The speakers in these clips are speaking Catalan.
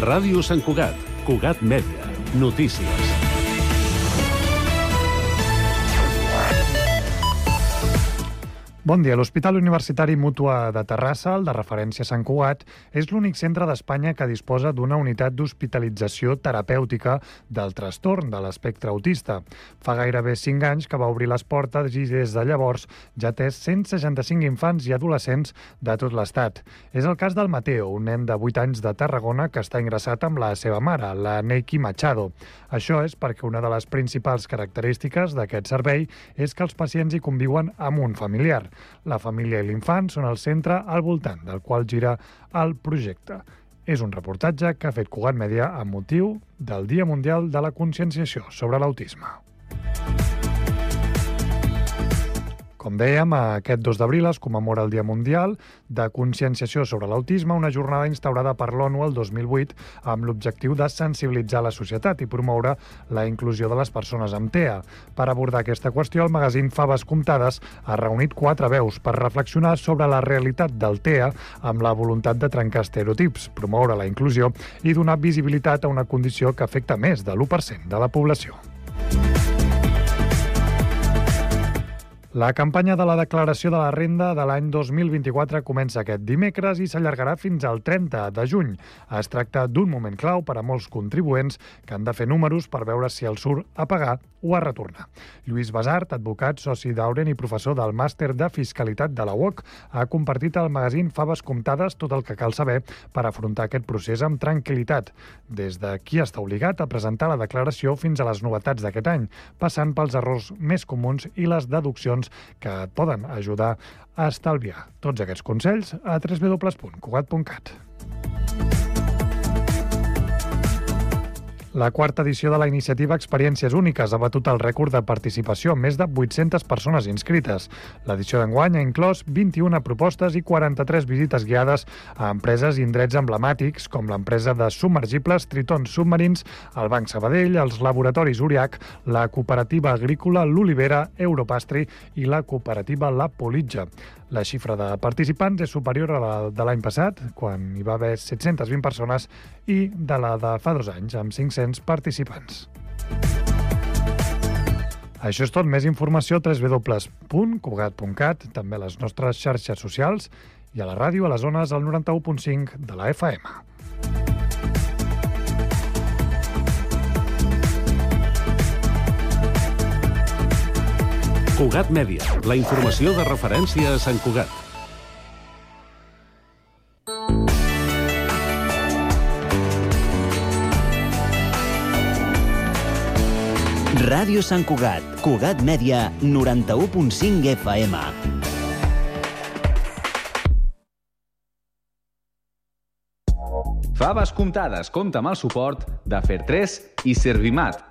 Ràdio Sant Cugat, Cugat Mèdia, notícies. Bon dia. L'Hospital Universitari Mútua de Terrassa, el de referència Sant Cugat, és l'únic centre d'Espanya que disposa d'una unitat d'hospitalització terapèutica del trastorn de l'espectre autista. Fa gairebé 5 anys que va obrir les portes i des de llavors ja té 165 infants i adolescents de tot l'Estat. És el cas del Mateo, un nen de 8 anys de Tarragona que està ingressat amb la seva mare, la Neiki Machado. Això és perquè una de les principals característiques d'aquest servei és que els pacients hi conviuen amb un familiar. La família i l'infant són el centre al voltant del qual gira el projecte. És un reportatge que ha fet Cugat Mèdia amb motiu del Dia Mundial de la Conscienciació sobre l'Autisme. Com dèiem, aquest 2 d'abril es commemora el Dia Mundial de Conscienciació sobre l'Autisme, una jornada instaurada per l'ONU el 2008 amb l'objectiu de sensibilitzar la societat i promoure la inclusió de les persones amb TEA. Per abordar aquesta qüestió, el magazín Faves Comptades ha reunit 4 veus per reflexionar sobre la realitat del TEA amb la voluntat de trencar estereotips, promoure la inclusió i donar visibilitat a una condició que afecta més de l'1% de la població. La campanya de la declaració de la renda de l'any 2024 comença aquest dimecres i s'allargarà fins al 30 de juny. Es tracta d'un moment clau per a molts contribuents que han de fer números per veure si els surt a pagar o a retornar. Lluís Basart, advocat, soci d'Auren i professor del Màster de Fiscalitat de la UOC, ha compartit al magazín Faves Comptades tot el que cal saber per afrontar aquest procés amb tranquil·litat, des de qui està obligat a presentar la declaració fins a les novetats d'aquest any, passant pels errors més comuns i les deduccions que et poden ajudar a estalviar. Tots aquests consells a www.cugat.cat. La 4ª edició de la iniciativa Experiències Úniques ha batut el rècord de participació amb més de 800 persones inscrites. L'edició d'enguany ha inclòs 21 propostes i 43 visites guiades a empreses i indrets emblemàtics com l'empresa de submergibles Triton Submarins, el Banc Sabadell, els laboratoris Uriach, la cooperativa agrícola L'Olivera, Europastri i la cooperativa La Politja. La xifra de participants és superior a la de l'any passat, quan hi va haver 720 persones, i de la de fa 2 anys, amb 500 participants. Això és tot. Més informació a www.cugat.cat, també a les nostres xarxes socials i a la ràdio a les zones al 91.5 de la FM. Cugat Mèdia, la informació de referència a Sant Cugat. Ràdio Sant Cugat, Cugat Mèdia, 91.5 FM. Faves Comptades compta amb el suport de Fer3 i Servimat.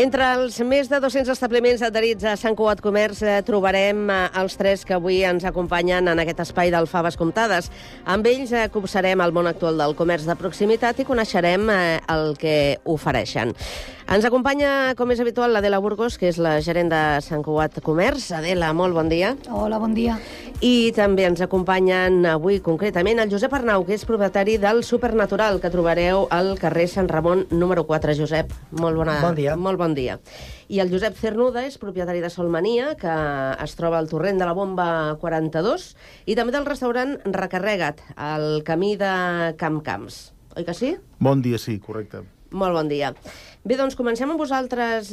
Entre els més de 200 establiments adherits a Sant Cugat Comerç trobarem els 3 que avui ens acompanyen en aquest espai del Faves Comptades. Amb ells copsarem el món actual del comerç de proximitat i coneixerem el que ofereixen. Ens acompanya, com és habitual, l'Adela Burgos, que és la gerent de Sant Cugat Comerç. Adela, molt bon dia. Hola, bon dia. I també ens acompanyen avui concretament el Josep Arnau, que és propietari del Supernatural, que trobareu al carrer Sant Ramon número 4. Josep, molt bon dia. Molt bon dia. I el Josep Cernuda és propietari de Solmania, que es troba al torrent de la Bomba 42, i també del restaurant Recarrega't, al camí de Camp Camps. Oi que sí? Bon dia, sí, correcte. Molt bon dia. Bé, doncs comencem amb vosaltres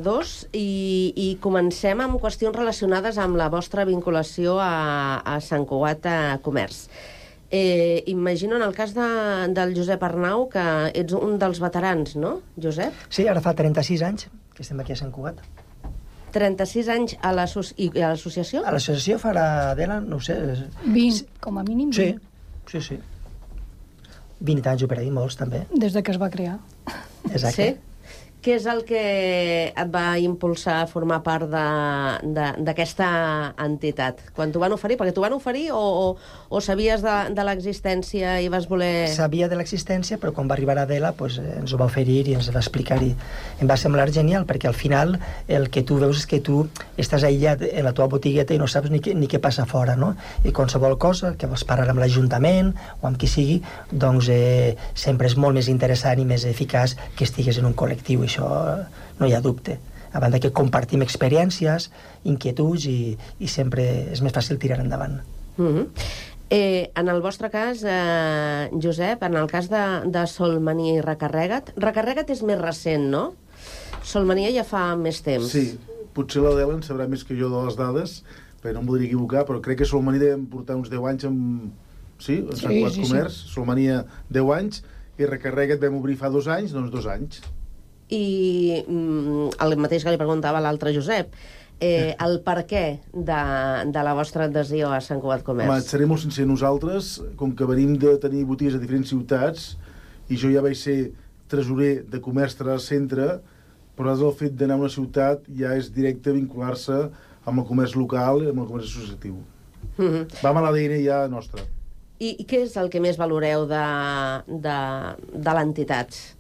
dos i comencem amb qüestions relacionades amb la vostra vinculació a Sant Cugat Comerç. Imagino en el cas del Josep Arnau que ets un dels veterans, no, Josep? Sí, ara fa 36 anys que estem aquí a Sant Cugat. 36 anys i a l'associació? A l'associació farà, Adela, no ho sé... 20, com a mínim 20. Sí. 20 anys per ahí, molts també. Des de que es va crear. Exacte. Sí? Què és el que et va impulsar a formar part d'aquesta entitat? Quan t'ho van oferir? Perquè t'ho van oferir o sabies de l'existència i vas voler... Sabia de l'existència, però quan va arribar Adela ens ho va oferir i ens va explicar i em va semblar genial, perquè al final el que tu veus és que tu estàs aïllat en la teva botigueta i no saps ni què passa fora, no? I qualsevol cosa que vols parlar amb l'Ajuntament o amb qui sigui, doncs sempre és molt més interessant i més eficaç que estigues en un col·lectiu, i això no hi ha dubte. A banda que compartim experiències, inquietuds i sempre és més fàcil tirar endavant. En el vostre cas, Josep, en el cas de Solmania i Recarrega't és més recent, no? Solmania ja fa més temps. Sí, potser l'Adela en sabrà més que jo de les dades, però no em voldria equivocar, però crec que Solmania devem portar uns 10 anys en Sant Cugat Comerç. Solmania 10 anys i Recarrega't vam obrir fa 2 anys, doncs 2 anys. I el mateix que li preguntava l'altre Josep, el per què de la vostra adhesió a Sant Cugat Comerç? Home, et seré molt sincer, nosaltres, com que venim de tenir botigues a diferents ciutats, i jo ja vaig ser tresorer de comerç centre, però el fet d'anar a una ciutat ja és directe vincular-se amb el comerç local i amb el comerç associatiu. Vam a l'ADN ja nostre. I què és el que més valoreu de l'entitat?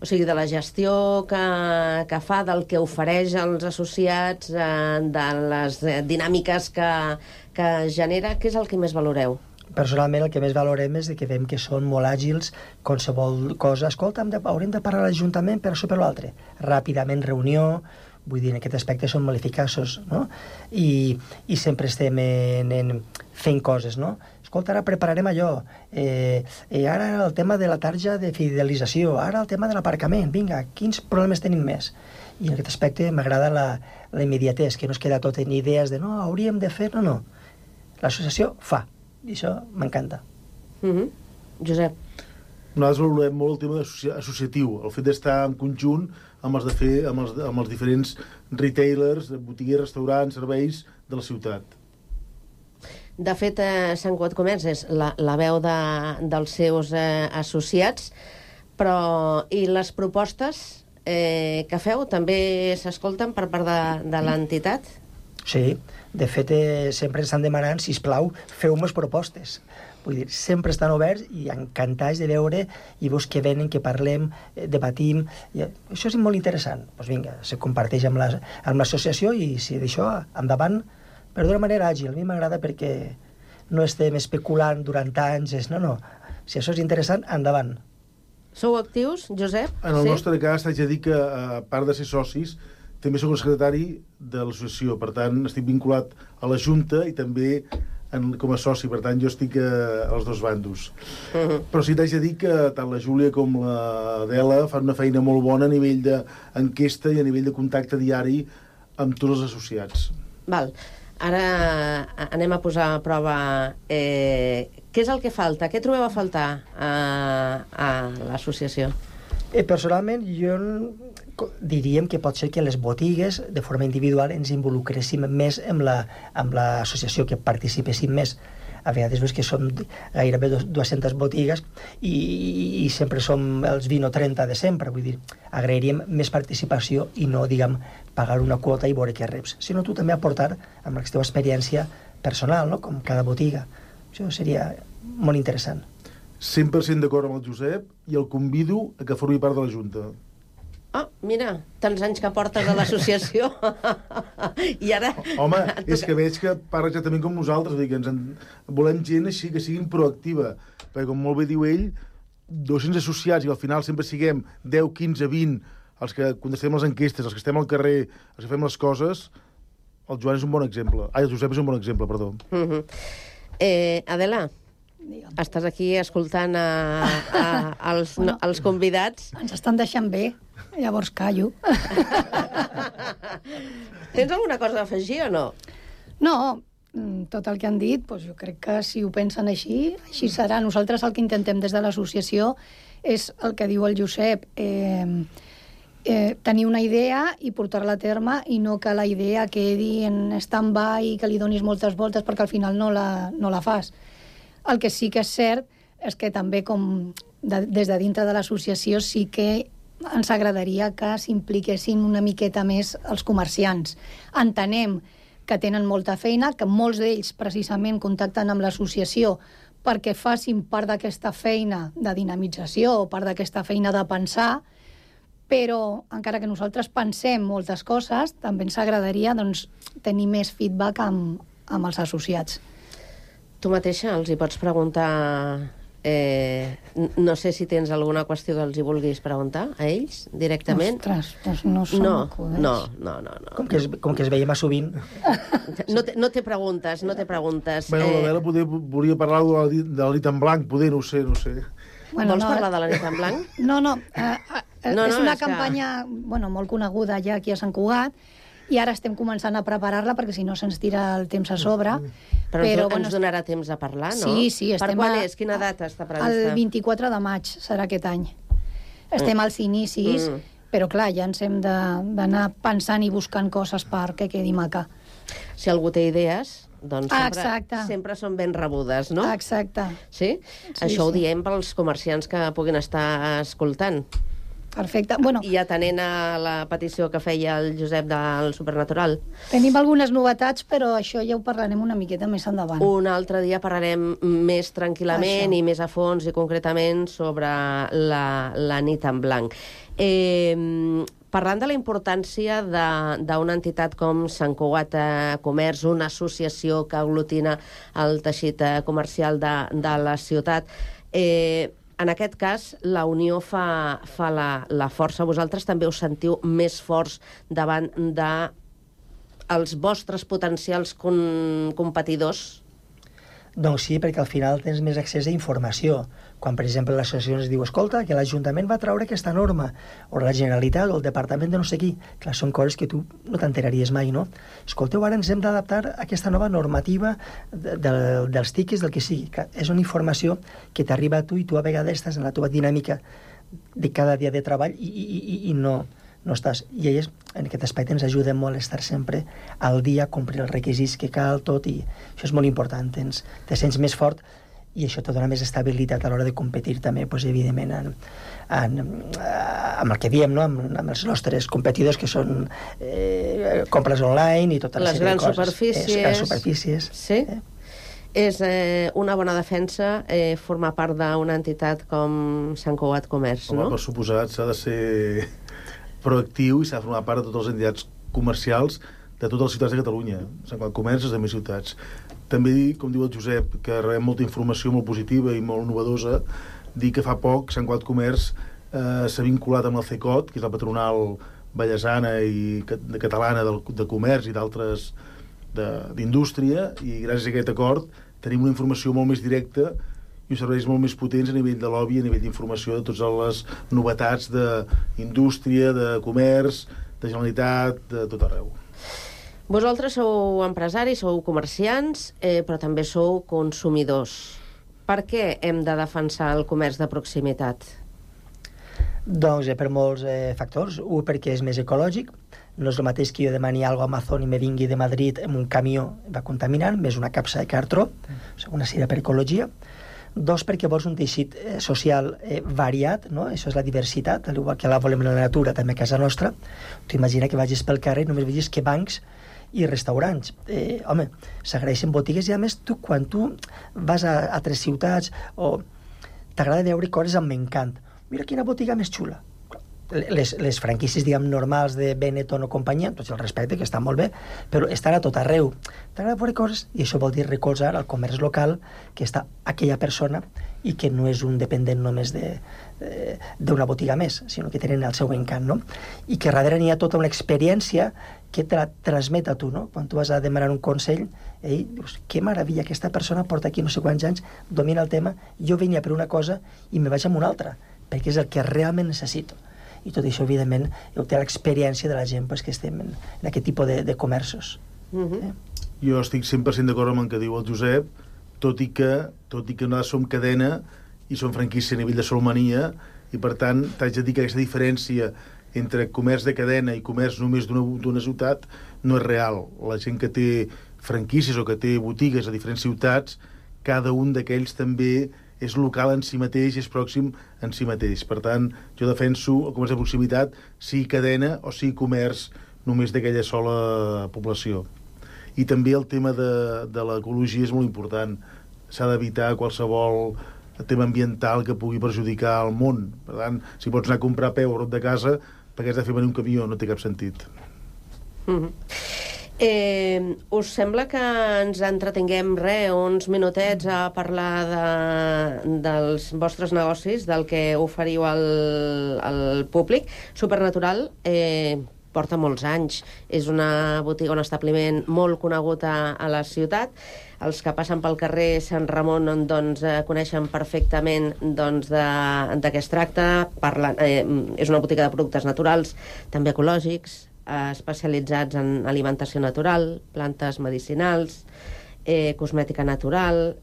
O sigui, de la gestió que fa, del que ofereix als associats, de les dinàmiques que genera, què és el que més valoreu? Personalment, el que més valorem és que veiem que són molt àgils, qualsevol cosa. Escolta, haurem de parlar a l'Ajuntament per això per l'altre. Ràpidament, reunió, vull dir, en aquest aspecte són molt eficaços, no? I sempre estem fent coses, no? Escolta, ara prepararem allò, ara el tema de la tarja de fidelització, ara el tema de l'aparcament, vinga, quins problemes tenim més? I en aquest aspecte m'agrada la immediatesa, que no es queda tot en idees de no, hauríem de fer, no. L'associació fa, i això m'encanta. Josep. Nosaltres valorem molt el tema associatiu, el fet d'estar en conjunt amb els diferents retailers, botiguers, restaurants, serveis de la ciutat. De fet, Sant Cugat Comerç és la veu dels seus associats, però i les propostes que feu també s'escolten per part de l'entitat? Sí, de fet sempre ens estan demanant, sisplau, feu-nos propostes. Vull dir, sempre estan oberts i encantats de veure i veus que venen, que parlem, debatim. I això és molt interessant. Doncs vinga, se comparteix amb l'associació i si d'això endavant, però d'una manera àgil. A mi m'agrada perquè no estem especulant durant anys. No. Si això és interessant, endavant. Sou actius, Josep? En el nostre cas, t'haig de dir que, a part de ser socis, també soc el secretari de l'associació. Per tant, estic vinculat a la Junta i també com a soci. Per tant, jo estic als dos bandos. Però sí t'haig de dir que tant la Júlia com l'Adela fan una feina molt bona a nivell d'enquesta i a nivell de contacte diari amb tots els associats. Val. Ara anem a posar a prova què és el que falta, què trobeu a faltar a l'associació? Personalment, jo diríem que pot ser que les botigues, de forma individual, ens involucréssim més amb l'associació, que participéssim més. A vegades veus que són gairebé 200 botigues i sempre som els 20 o 30 de sempre. Vull dir, agrairíem més participació i no, diguem, pagar una quota i veure què reps, sinó tu també aportar amb la teva experiència personal, no? Com cada botiga. Això seria molt interessant. 100% d'acord amb el Josep i el convido a que formi part de la Junta. Ah, mira, tants anys que portes a l'associació i ara... Home, és que veig que parla exactament com nosaltres, vull dir que volem gent així que siguin proactiva, perquè com molt bé diu ell, 200 associats i al final sempre siguem 10, 15, 20 els que contestem les enquestes, els que estem al carrer, els que fem les coses, el Joan és un bon exemple. El Josep és un bon exemple, perdó. Adela, diguem. Estàs aquí escoltant els convidats. Ens estan deixant bé, llavors callo. Tens alguna cosa a afegir o no? No, tot el que han dit, doncs jo crec que si ho pensen així, així serà. Nosaltres el que intentem des de l'associació és el que diu el Josep, tenir una idea i portar-la a terme i no que la idea quedi en stand-by i que li donis moltes voltes perquè al final no la fas. El que sí que és cert és que també des de dintre de l'associació sí que ens agradaria que s'impliquessin una miqueta més els comerciants. Entenem que tenen molta feina, que molts d'ells precisament contacten amb l'associació perquè facin part d'aquesta feina de dinamització o part d'aquesta feina de pensar, però encara que nosaltres pensem moltes coses, també ens agradaria tenir més feedback amb els associats. Tu mateixa els hi pots preguntar... no sé si tens alguna qüestió que els hi vulguis preguntar a ells directament. Ostres, doncs no som acudents. No. Com que es veiem a sovint. No té preguntes. Bueno, la Bela volia parlar de la nit en blanc, poder, no ho sé. Vols parlar de la nit en blanc? No. És una campanya molt coneguda ja aquí a Sant Cugat, i ara estem començant a preparar-la perquè si no se'ns tira el temps a sobre. Però ens donarà temps a parlar, no? Sí. Per quan és? Quina data està prevista? El 24 de maig serà aquest any. Estem als inicis, però clar, ja ens hem d'anar pensant i buscant coses perquè quedi maca. Si algú té idees, doncs sempre són ben rebudes, no? Exacte. Sí? Això ho diem pels comerciants que puguin estar escoltant. Perfecte. I atenent a la petició que feia el Josep del Supernatural. Tenim algunes novetats, però això ja ho parlarem una miqueta més endavant. Un altre dia parlarem més tranquil·lament i més a fons i concretament sobre la nit en blanc. Parlant de la importància d'una entitat com Sant Cugat Comerç, una associació que aglutina el teixit comercial de la ciutat, en aquest cas, la unió fa la força. Vosaltres també us sentiu més forts davant dels vostres potencials competidors? Doncs sí, perquè al final tens més accés a informació. Quan, per exemple, l'associació ens diu escolta, que l'Ajuntament va treure aquesta norma, o la Generalitat, o el Departament de no sé qui. Clar, són coses que tu no t'enteraries mai, no? Escolteu, ara ens hem d'adaptar a aquesta nova normativa dels tiquets, del que sigui. Clar, és una informació que t'arriba a tu i tu a vegades estàs en la teva dinàmica de cada dia de treball i no estàs. I elles, en aquest aspecte, ens ajuden molt a estar sempre al dia, complir els requisits que cal, tot, i això és molt important. Te sents més fort i això te dona més estabilitat a l'hora de competir també, doncs, evidentment, amb el que diem, no? amb els nostres competidors, que són compres online i tota la sèrie de coses. Les grans superfícies. Sí? És una bona defensa formar part d'una entitat com Sant Cugat Comerç, no? Per suposat, s'ha de ser proactiu i s'ha de formar part de totes les entitats comercials de totes les ciutats de Catalunya. Sant Cugat Comerç és de més ciutats. També dir, com diu el Josep, que rebem molta informació molt positiva i molt novedosa, dir que fa poc Sant Cugat Comerç s'ha vinculat amb el CECOT, que és la patronal ballesana i catalana de comerç i d'altres d'indústria, i gràcies a aquest acord tenim una informació molt més directa i uns serveis molt més potents a nivell de lobby, a nivell d'informació de totes les novetats d'indústria, de comerç, de Generalitat, de tot arreu. Vosaltres sou empresaris, sou comerciants, però també sou consumidors. Per què hem de defensar el comerç de proximitat? Doncs per molts factors. Un, perquè és més ecològic. No és el mateix que jo demani alguna cosa a Amazon i me vingui de Madrid amb un camió va contaminant, més una capsa de cartró, una sèrie per ecologia. Dos, perquè vols un teixit social variat, no? Això és la diversitat, igual que la volem en la natura, també a casa nostra. Tu imagina que vagis pel carrer i només vegis que bancs i restaurants. Home, s'agraeixen botigues i, a més, quan tu vas a altres ciutats o t'agrada veure coses amb encant. Mira quina botiga més xula. Les franquícies, diguem, normals de Benetton o companyia, tots el respecte, que estan molt bé, però estan a tot arreu. T'agrada veure coses, i això vol dir recolzar el comerç local, que està aquella persona i que no és un dependent només d'una botiga més, sinó que tenen el seu encant, no? I que darrere n'hi ha tota una experiència què te la transmet a tu, no? Quan tu vas a demanar un consell, dius, que meravella, aquesta persona porta aquí no sé quants anys, domina el tema, jo venia per una cosa i me vaig amb una altra, perquè és el que realment necessito. I tot això, evidentment, ho té l'experiència de la gent que estem en aquest tipus de comerços. Jo estic 100% d'acord amb el que diu el Josep, tot i que nosaltres som cadena i som franquícia a nivell de Solomania, i per tant t'haig de dir que aquesta diferència entre comerç de cadena i comerç només d'una ciutat no és real. La gent que té franquícies o que té botigues a diferents ciutats, cada un d'aquells també és local en si mateix, és pròxim en si mateix. Per tant, jo defenso el comerç de proximitat, sigui cadena o sigui comerç només d'aquella sola població. I també el tema de l'ecologia és molt important. S'ha d'evitar qualsevol tema ambiental que pugui perjudicar el món. Per tant, si pots anar a comprar a peu a prop de casa, perquè has de fer venir un camió, no té cap sentit. Us sembla que ens entretinguem uns minutets a parlar dels vostres negocis, del que oferiu al públic? Supernatural porta molts anys, és una botiga, un establiment molt conegut a la ciutat. Els que passen pel carrer Sant Ramon coneixen perfectament de què es tracta. És una botiga de productes naturals, també ecològics, especialitzats en alimentació natural, plantes medicinals, cosmètica natural.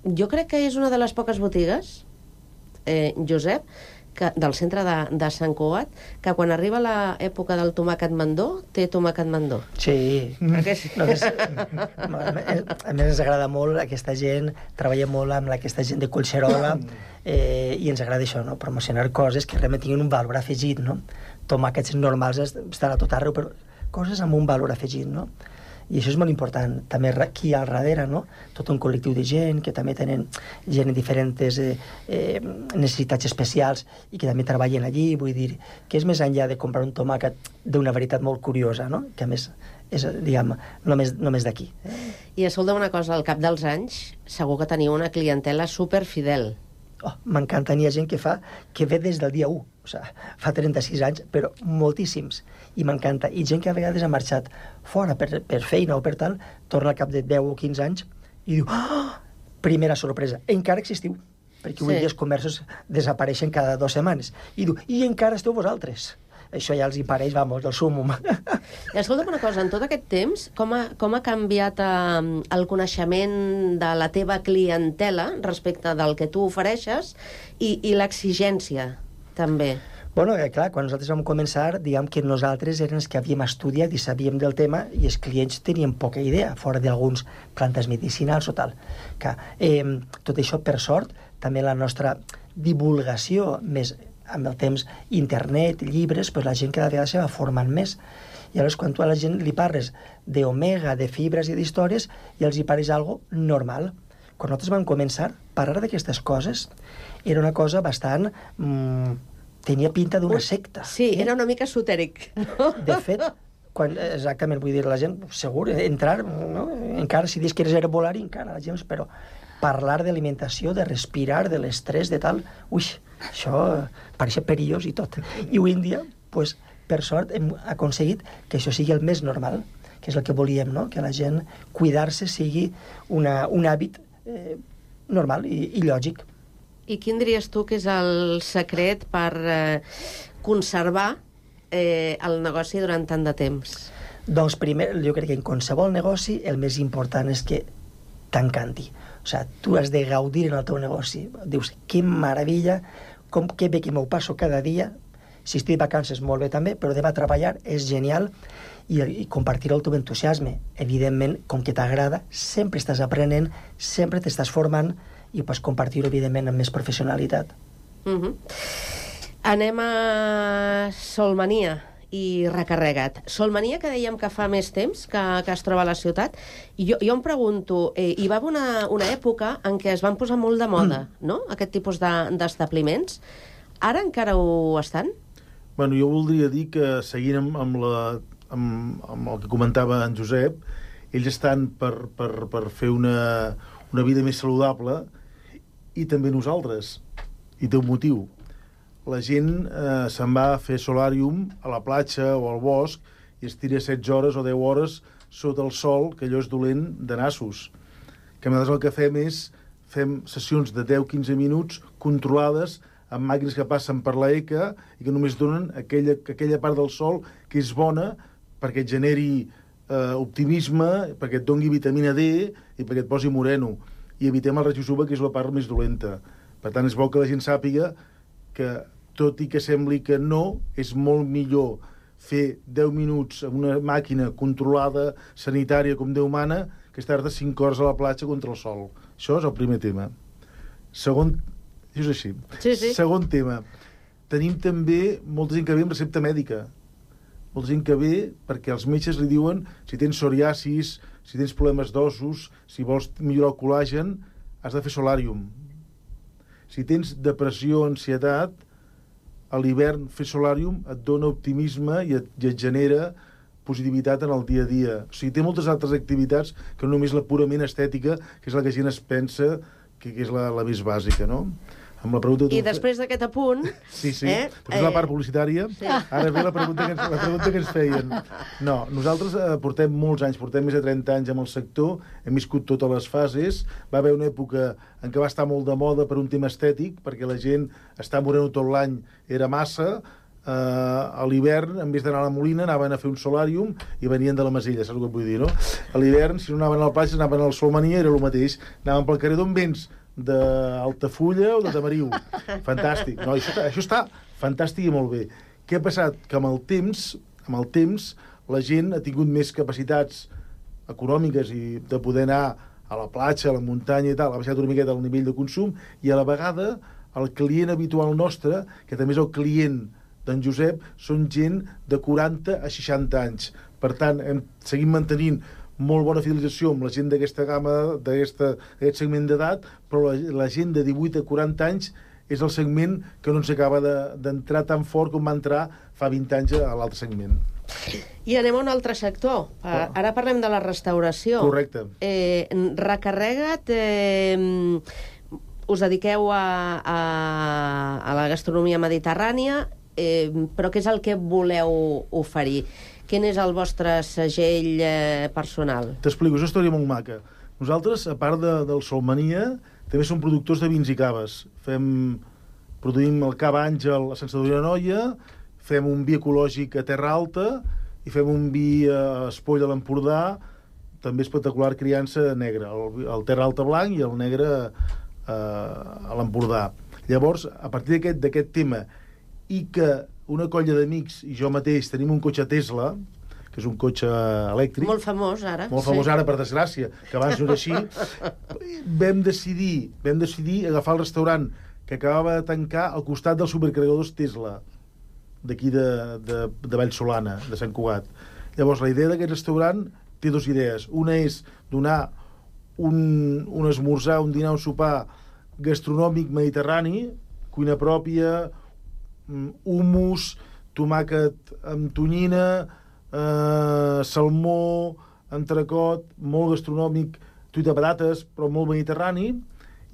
Jo crec que és una de les poques botigues, Josep, del centre de Sant Cugat, que quan arriba l'època del tomàquet mandó, té tomàquet mandó. Sí. A més, ens agrada molt aquesta gent, treballa molt amb aquesta gent de Collserola, i ens agrada això, no? Promocionar coses que realment tinguin un valor afegit, no? Tomàquets normals estan a tot arreu, però coses amb un valor afegit, no? I això és molt important. També aquí al darrere, no? Tot un col·lectiu de gent que també tenen gent amb diferents necessitats especials i que també treballen allí. Vull dir, que és més enllà de comprar un tomàquet d'una varietat molt curiosa, no? Que a més és, diguem, només d'aquí. I escolta'm una cosa, al cap dels anys segur que teniu una clientela superfidel. M'encanta, n'hi ha gent que ve des del dia 1, o sigui, fa 36 anys, però moltíssims, i m'encanta. I gent que a vegades ha marxat fora per feina o per tal, torna al cap de 10 o 15 anys i diu, primera sorpresa, encara existiu, perquè avui dia els comerços desapareixen cada 2 setmanes, i diu, i encara esteu vosaltres. Això ja els hi pareix, vamos, del súmum. Escolta'm una cosa, en tot aquest temps, com ha canviat el coneixement de la teva clientela respecte del que tu ofereixes i l'exigència, també? Bueno, clar, quan nosaltres vam començar, diguem que nosaltres eren els que havíem estudiat i sabíem del tema i els clients tenien poca idea, fora d'alguns plantes medicinals o tal. Tot això, per sort, també la nostra divulgació més amb el temps, internet, llibres, doncs la gent cada vegada se va formant més. I llavors, quan tu a la gent li parles d'omega, de fibres i d'històries, i els hi pareix algo normal. Quan nosaltres vam començar, parlar d'aquestes coses era una cosa bastant... tenia pinta d'una secta. Sí, era una mica esotèric. De fet, exactament, vull dir, la gent, segur, entrar, no? Encara si dius que eres herbolari, encara la gent, però parlar d'alimentació, de respirar, de l'estrès, de tal... Ui, això pareix perillós i tot. I avui en dia, pues, per sort, hem aconseguit que això sigui el més normal, que és el que volíem, no? Que la gent cuidar-se sigui un hàbit normal i lògic. I quin diries tu que és el secret per conservar el negoci durant tant de temps? Doncs primer, jo crec que en qualsevol negoci el més important és que t'encanti. O sigui, tu has de gaudir en el teu negoci. Dius, que meravella, que bé que m'ho passo cada dia. Si estic de vacances, molt bé també, però demà a treballar és genial i compartir el teu entusiasme. Evidentment, com que t'agrada, sempre estàs aprenent, sempre t'estàs formant i pots compartir-ho, evidentment, amb més professionalitat. Anem a Solmania i Recarrega't. Solmania, que dèiem que fa més temps que es troba a la ciutat, i jo em pregunto, hi va haver una època en què es van posar molt de moda, no?, aquest tipus d'establiments. Ara encara ho estan? Bueno, jo voldria dir que, seguint amb el que comentava en Josep, ells estan per fer una vida més saludable, i també nosaltres. I té un motiu. la gent se'n va a fer solàrium a la platja o al bosc i es tira 16 hores o 10 hores sota el sol, que allò és dolent de nassos. Que nosaltres el que fem sessions de 10-15 minuts controlades amb màquines que passen per la ECA i que només donen aquella part del sol que és bona perquè et generi optimisme, perquè et doni vitamina D i perquè et posi moreno. I evitem el raig UV, que és la part més dolenta. Per tant, és bo que la gent sàpiga que, tot i que sembli que no, és molt millor fer 10 minuts amb una màquina controlada, sanitària, com Déu mana, que estar-te 5 hores a la platja contra el sol. Això és el primer tema. Segon... Això és així. Sí. Segon tema. Tenim també molta gent que ve amb recepta mèdica. Molta gent que ve perquè els metges li diuen si tens psoriasis, si tens problemes d'ossos, si vols millorar el col·làgen, has de fer solàrium. Si tens depressió, ansietat, a l'hivern fer solàrium et dona optimisme i et genera positivitat en el dia a dia. O sigui, té moltes altres activitats que no només la purament estètica, que és la que la gent es pensa que és la més bàsica, no? Amb la pregunta I després d'aquest apunt... Sí. Després la part publicitària, sí. Ara ve la pregunta que ens feien. No, nosaltres portem molts anys, portem més de 30 anys amb el sector, hem viscut totes les fases, va haver una època en què va estar molt de moda per un tema estètic, perquè la gent està moreno tot l'any, era massa, a l'hivern, en vez d'anar a la Molina, anaven a fer un solàrium i venien de la Masella, saps el que vull dir, no? A l'hivern, si no anaven a la platja, anaven al Solmania, era el mateix. Anaven pel carrer d'on vens? d'Altafulla o de Tamariu. Fantàstic. No, això està fantàstic i molt bé. Què ha passat? Que amb el temps la gent ha tingut més capacitats econòmiques i de poder anar a la platja, a la muntanya i tal, ha baixat una miqueta el nivell de consum i a la vegada el client habitual nostre, que també és el client d'en Josep, són gent de 40 a 60 anys. Per tant, seguim mantenint molt bona fidelització amb la gent d'aquesta gamma, d'aquest segment d'edat, però la gent de 18 a 40 anys és el segment que no ens acaba d'entrar tan fort com va entrar fa 20 anys a l'altre segment. I anem a un altre sector. Ara parlem de la restauració. Correcte. Recarrega't, us dediqueu a la gastronomia mediterrània, però què és el que voleu oferir? Quin és el vostre segell personal? T'explico, és una història molt maca. Nosaltres, a part del Solmania, també som productors de vins i caves. Produïm el Cava Àngel a Sant Sadurní d'Anoia, fem un vi ecològic a Terra Alta i fem un vi a Espoll a l'Empordà, també espectacular criança negra, el Terra Alta blanc i el negre a l'Empordà. Llavors, a partir d'aquest tema, i que una colla d'amics i jo mateix tenim un cotxe Tesla, que és un cotxe elèctric. Molt famós ara. Molt famós ara, per desgràcia, que abans no era així. Vam decidir agafar el restaurant que acabava de tancar al costat dels supercarregadors Tesla, d'aquí de Vallsolana, de Sant Cugat. Llavors, la idea d'aquest restaurant té dues idees. Una és donar un esmorzar, un dinar, un sopar gastronòmic mediterrani, cuina pròpia, hummus, tomàquet amb tonyina, salmó, entrecot, molt gastronòmic, truita de patates, però molt mediterrani,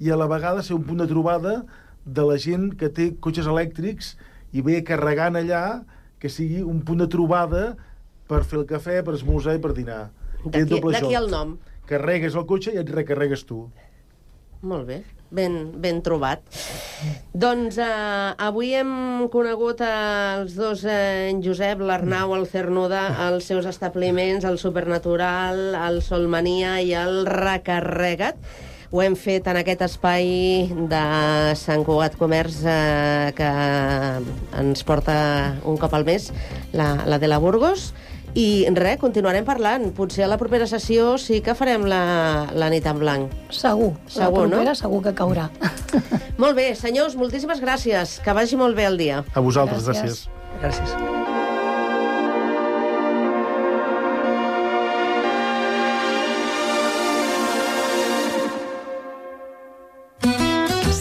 i a la vegada ser un punt de trobada de la gent que té cotxes elèctrics i ve carregant allà, que sigui un punt de trobada per fer el cafè, per esmorzar i per dinar. D'aquí el nom. Carregues el cotxe i et recarregues tu. Molt bé, ben trobat. Doncs avui hem conegut els dos, en Josep, l'Arnau, el Cernuda, els seus establiments, el Supernatural, el Solmania i el Recarrega't. Ho hem fet en aquest espai de Sant Cugat Comerç que ens porta un cop al mes, la de la Burgos. I res, continuarem parlant. Potser a la propera sessió sí que farem la nit en blanc. Segur, la propera, no? Segur que caurà. Molt bé, senyors, moltíssimes gràcies. Que vagi molt bé el dia. A vosaltres, gràcies. Gràcies.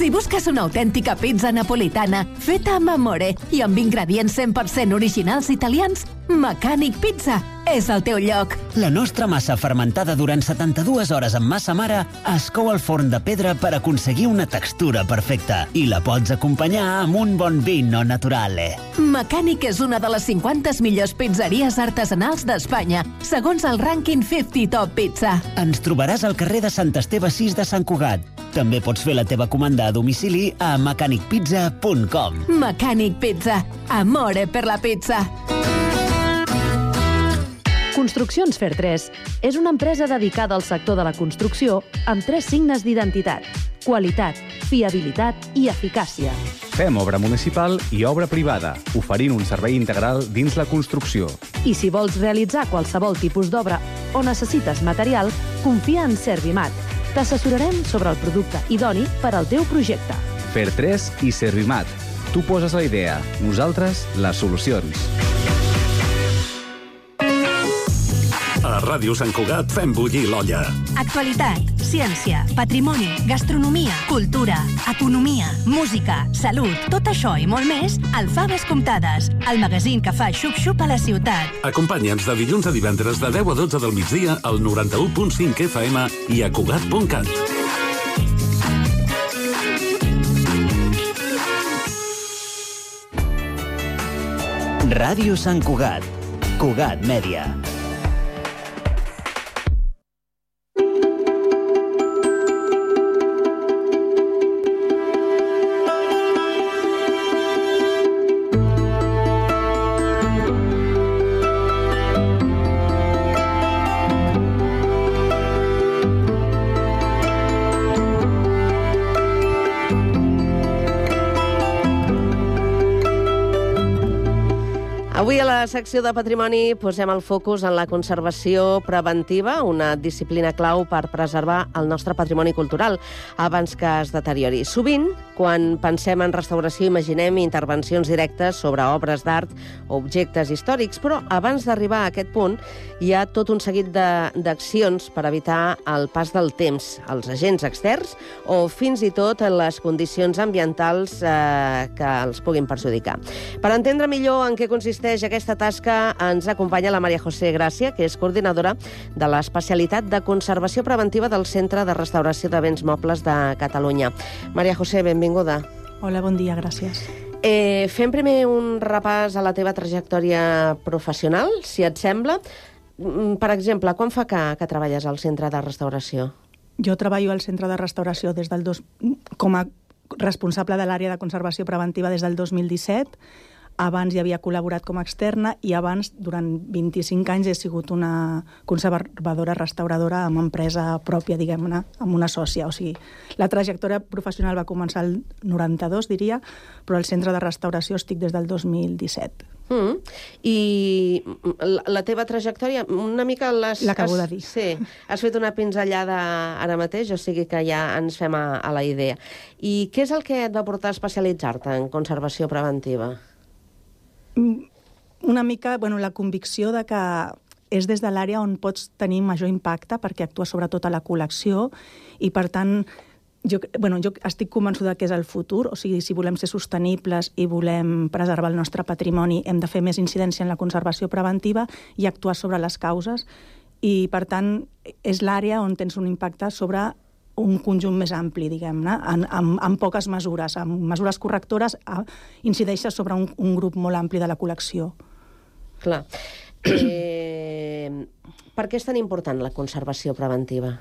Si busques Busques una autèntica pizza napolitana feta amb amore i amb ingredients 100% originals italians? Mecànic Pizza és el teu lloc. La nostra massa fermentada durant 72 hores amb massa mare es cou al forn de pedra per aconseguir una textura perfecta i la pots acompanyar amb un bon vino naturale. Mecànic és una de les 50 millors pizzeries artesanals d'Espanya, segons el rànquing 50 Top Pizza. Ens trobaràs al carrer de Sant Esteve 6 de Sant Cugat. També pots fer la teva comanda a domicili a mecanicpizza.com. Mecànic Pizza. Amore per la pizza. Construccions Fer3 és una empresa dedicada al sector de la construcció amb 3 signes d'identitat: qualitat, fiabilitat i eficàcia. Fem obra municipal i obra privada, oferint un servei integral dins la construcció. I si vols realitzar qualsevol tipus d'obra o necessites material, confia en Servimat. T'assessorarem sobre el producte idoni per al teu projecte. Fer3 i Servimat. Tu poses la idea, nosaltres les solucions. A Ràdio Sant Cugat fem bullir l'olla. Actualitat, ciència, patrimoni, gastronomia, cultura, economia, música, salut, tot això i molt més al Faves Comptades, el magazín que fa xup-xup a la ciutat. Acompanya'ns de dilluns a divendres de 10 a 12 del migdia al 91.5 FM i a Cugat.cat. Ràdio Sant Cugat. Cugat Mèdia. Avui a la secció de Patrimoni posem el focus en la conservació preventiva, una disciplina clau per preservar el nostre patrimoni cultural abans que es deteriori. Sovint, quan pensem en restauració, imaginem intervencions directes sobre obres d'art o objectes històrics, però abans d'arribar a aquest punt hi ha tot un seguit d'accions per evitar el pas del temps, els agents externs o fins i tot les condicions ambientals que els puguin perjudicar. Per entendre millor en què consisteix aquesta tasca, ens acompanya la Maria José Gràcia, que és coordinadora de l'especialitat de conservació preventiva del Centre de Restauració de Béns Mobles de Catalunya. Maria José, benvinguda. Hola, bon dia, gràcies. Fem primer un repàs a la teva trajectòria professional, si et sembla. Per exemple, quan fa que treballes al Centre de Restauració? Jo treballo al Centre de Restauració com a responsable de l'àrea de conservació preventiva des del 2017. Abans hi havia col·laborat com a externa i abans, durant 25 anys, he sigut una conservadora restauradora amb empresa pròpia, diguem-ne, amb una sòcia. O sigui, la trajectòria professional va començar el 92, diria, però al Centre de Restauració estic des del 2017. I la teva trajectòria, una mica l'acabo de dir. Sí, has fet una pinzellada ara mateix, o sigui que ja ens fem a la idea. I què és el que et va portar a especialitzar-te en conservació preventiva? Una mica, la convicció de que és des de l'àrea on pots tenir major impacte perquè actua sobretot a la col·lecció i, per tant, jo estic convençuda que és el futur. O sigui, si volem ser sostenibles i volem preservar el nostre patrimoni, hem de fer més incidència en la conservació preventiva i actuar sobre les causes. I, per tant, és l'àrea on tens un impacte sobre un conjunt més ampli, diguem-ne, amb poques mesures. Amb mesures correctores incideixes sobre un grup molt ampli de la col·lecció. Clar. Per què és tan important la conservació preventiva?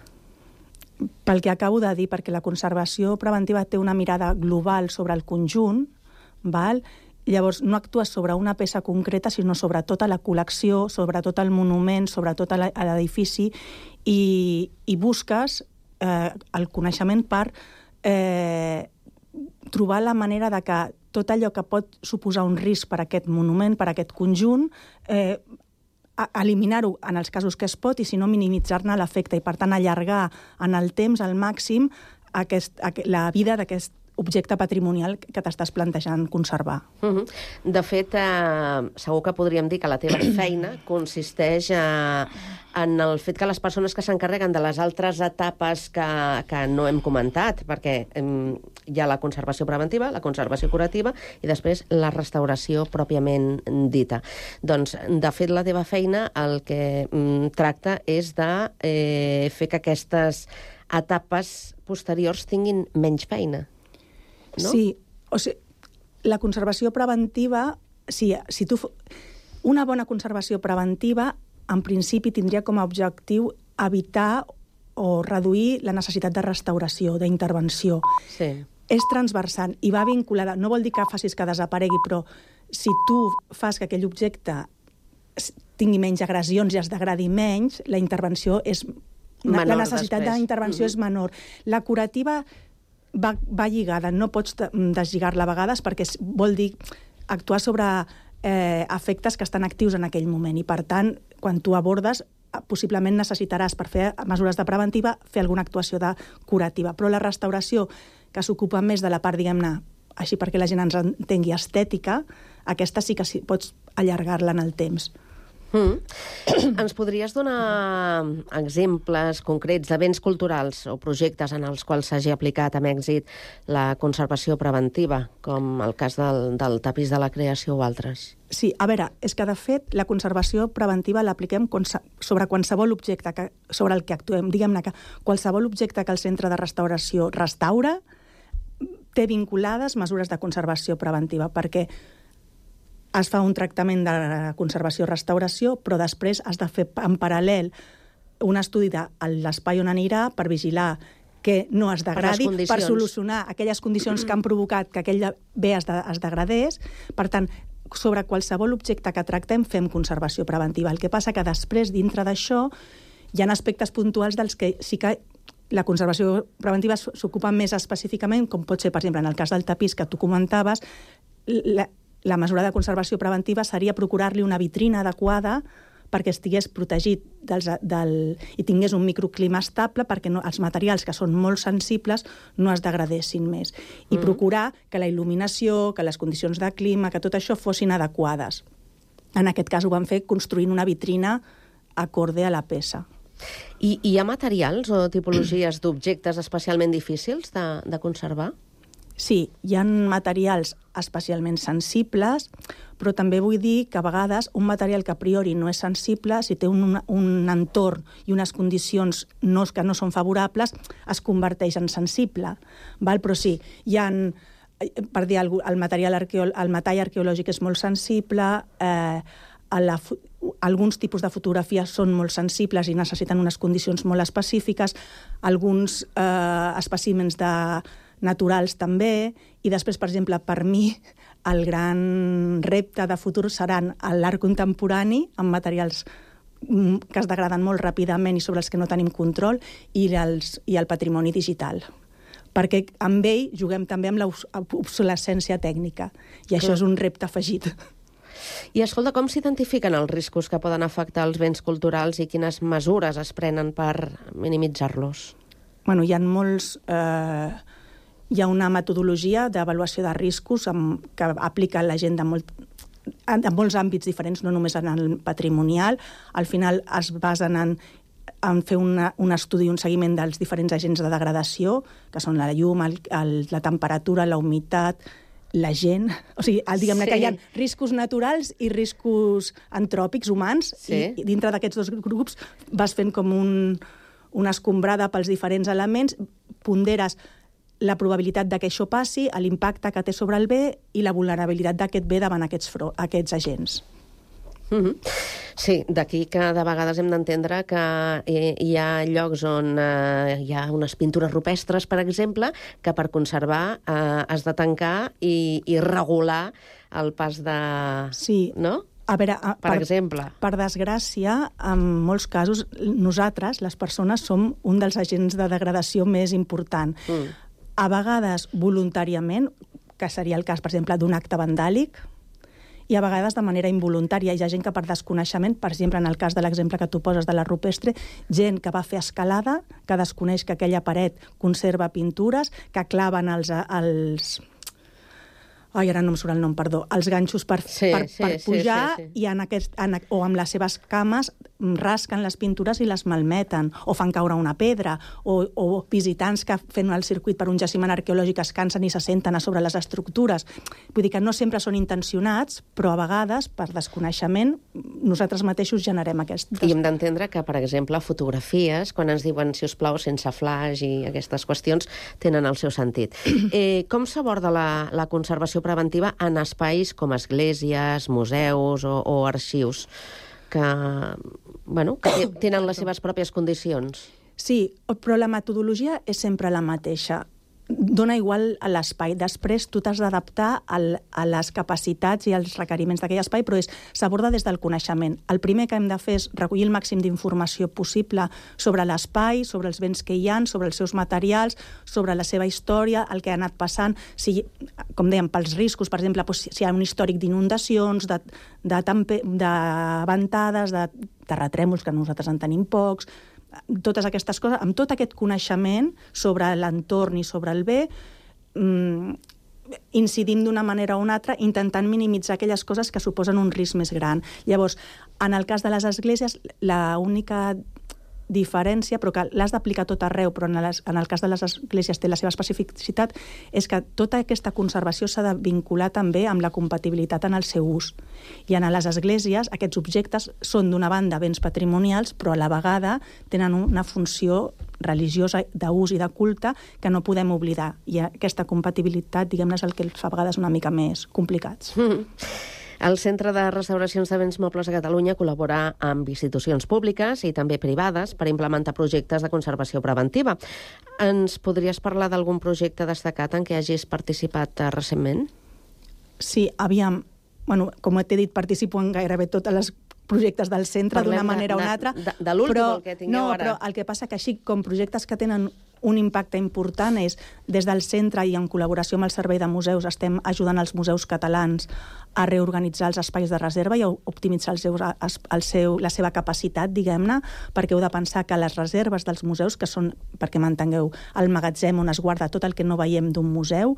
Pel que acabo de dir, perquè la conservació preventiva té una mirada global sobre el conjunt, val? Llavors no actues sobre una peça concreta, sinó sobre tota la col·lecció, sobre tot el monument, sobre tot l'edifici, i busques el coneixement per trobar la manera de que tot allò que pot suposar un risc per a aquest monument, per a aquest conjunt, eliminar-ho en els casos que es pot i, si no, minimitzar-ne l'efecte i, per tant, allargar en el temps al màxim la vida d'aquest objecte patrimonial que t'estàs plantejant conservar. De fet, segur que podríem dir que la teva feina consisteix en el fet que les persones que s'encarreguen de les altres etapes que no hem comentat, perquè hi ha la conservació preventiva, la conservació curativa i després la restauració pròpiament dita. Doncs, de fet, la teva feina el que tracta és de fer que aquestes etapes posteriors tinguin menys feina. No? Sí, o sigui, la conservació preventiva, una bona conservació preventiva, en principi tindria com a objectiu evitar o reduir la necessitat de restauració, d'intervenció. Sí. És transversal i va vinculada. No vol dir que facis que desaparegui, però si tu fas que aquell objecte tingui menys agressions i es degradi menys, la intervenció és menor, la necessitat d'intervenció és menor. La curativa va lligada, no pots deslligar-la a vegades perquè vol dir actuar sobre efectes que estan actius en aquell moment i, per tant, quan tu abordes, possiblement necessitaràs, per fer mesures de preventiva, fer alguna actuació de curativa. Però la restauració, que s'ocupa més de la part, diguem-ne, així perquè la gent ens entengui, estètica, aquesta sí que pots allargar-la en el temps. Ens podries donar exemples concrets de béns culturals o projectes en els quals s'hagi aplicat amb èxit la conservació preventiva, com el cas del tapís de la creació o altres? Sí, a veure, és que de fet la conservació preventiva l'apliquem sobre qualsevol objecte sobre el que actuem. Diguem-ne que qualsevol objecte que el centre de restauració restaura té vinculades mesures de conservació preventiva, perquè es fa un tractament de conservació-restauració, però després has de fer en paral·lel un estudi de l'espai on anirà per vigilar que no es degradi, per solucionar aquelles condicions que han provocat que aquell bé es degradés. Per tant, sobre qualsevol objecte que tractem fem conservació preventiva. El que passa que després, dintre d'això, hi ha aspectes puntuals dels que sí que la conservació preventiva s'ocupa més específicament, com pot ser, per exemple, en el cas del tapís que tu comentaves, la mesura de conservació preventiva seria procurar-li una vitrina adequada perquè estigués protegit i tingués un microclima estable perquè els materials, que són molt sensibles, no es degradessin més. I procurar que la il·luminació, que les condicions de clima, que tot això fossin adequades. En aquest cas ho van fer construint una vitrina acorde a la peça. I hi ha materials o tipologies d'objectes especialment difícils de conservar? Sí, hi ha materials especialment sensibles, però també vull dir que a vegades un material que a priori no és sensible, si té un entorn i unes condicions que no són favorables, es converteix en sensible. Però sí, hi ha, per dir el metall arqueològic és molt sensible, alguns tipus de fotografies són molt sensibles i necessiten unes condicions molt específiques, alguns espècimens naturals també, i després, per exemple, per mi, el gran repte de futur seran l'art contemporani, amb materials que es degraden molt ràpidament i sobre els que no tenim control, i el patrimoni digital. Perquè amb ell juguem també amb l'obsolescència tècnica, i això és un repte afegit. I escolta, com s'identifiquen els riscos que poden afectar els béns culturals i quines mesures es prenen per minimitzar-los? Bueno, hi ha hi ha una metodologia d'avaluació de riscos que aplica la gent de molts àmbits diferents, no només en el patrimonial. Al final es basen en fer un estudi, un seguiment dels diferents agents de degradació, que són la llum, la temperatura, la humitat, la gent. O sigui, diguem-ne que hi ha riscos naturals i riscos antròpics, humans, i dintre d'aquests dos grups vas fent com una escombrada pels diferents elements, ponderes la probabilitat que això passi, l'impacte que té sobre el bé i la vulnerabilitat d'aquest bé davant aquests agents. Sí, d'aquí que de vegades hem d'entendre que hi ha llocs on hi ha unes pintures rupestres, per exemple, que per conservar has de tancar i regular el pas de... Sí. No? A veure, per exemple. Per desgràcia, en molts casos, nosaltres, les persones, som un dels agents de degradació més important. A vegades voluntàriament, que seria el cas, per exemple, d'un acte vandàlic, i a vegades de manera involuntària. Hi ha gent que per desconeixement, per exemple, en el cas de l'exemple que tu poses de la rupestre, gent que va fer escalada, que desconeix que aquella paret conserva pintures, que claven els ara no em surt el nom, perdó, els ganxos per pujar i o amb les seves cames rasquen les pintures i les malmeten, o fan caure una pedra, o visitants que fent el circuit per un jaciment arqueològic es cansen i se senten a sobre les estructures. Vull dir que no sempre són intencionats, però a vegades, per desconeixement, nosaltres mateixos generem aquestes... I hem d'entendre que, per exemple, fotografies, quan ens diuen, si us plau, sense flash i aquestes qüestions, tenen el seu sentit. Com s'aborda la conservació preventiva en espais com esglésies, museus o arxius que tenen les seves pròpies condicions? Sí, però la metodologia és sempre la mateixa. Dona igual a l'espai. Després tu t'has d'adaptar a les capacitats i als requeriments d'aquell espai, però s'aborda des del coneixement. El primer que hem de fer és recollir el màxim d'informació possible sobre l'espai, sobre els béns que hi ha, sobre els seus materials, sobre la seva història, el que ha anat passant, com dèiem, pels riscos, per exemple, si hi ha un històric d'inundacions, de ventades, de terratrèmols, que nosaltres en tenim pocs, totes aquestes coses, amb tot aquest coneixement sobre l'entorn i sobre el bé, incidim d'una manera o una altra, intentant minimitzar aquelles coses que suposen un risc més gran. Llavors, en el cas de les esglésies, l'única diferència, però que l'has d'aplicar tot arreu, però en el cas de les esglésies té la seva especificitat, és que tota aquesta conservació s'ha de vincular també amb la compatibilitat en el seu ús. I en les esglésies aquests objectes són d'una banda béns patrimonials, però a la vegada tenen una funció religiosa d'ús i de culte que no podem oblidar. I aquesta compatibilitat, diguem-ne, és el que els fa a vegades una mica més complicats. El Centre de Restauracions de Béns Mobles de Catalunya col·labora amb institucions públiques i també privades per implementar projectes de conservació preventiva. Ens podries parlar d'algun projecte destacat en què hagis participat recentment? Sí, aviam. Com t'he dit, participo en gairebé tots els projectes del centre d'una manera o una altra. De l'últim, el que tingueu ara. Però el que passa que així com projectes que tenen un impacte important és, des del centre i en col·laboració amb el Servei de Museus, estem ajudant els museus catalans a reorganitzar els espais de reserva i a optimitzar la seva capacitat, diguem-ne, perquè heu de pensar que les reserves dels museus, que són, perquè m'entengueu, el magatzem on es guarda tot el que no veiem d'un museu,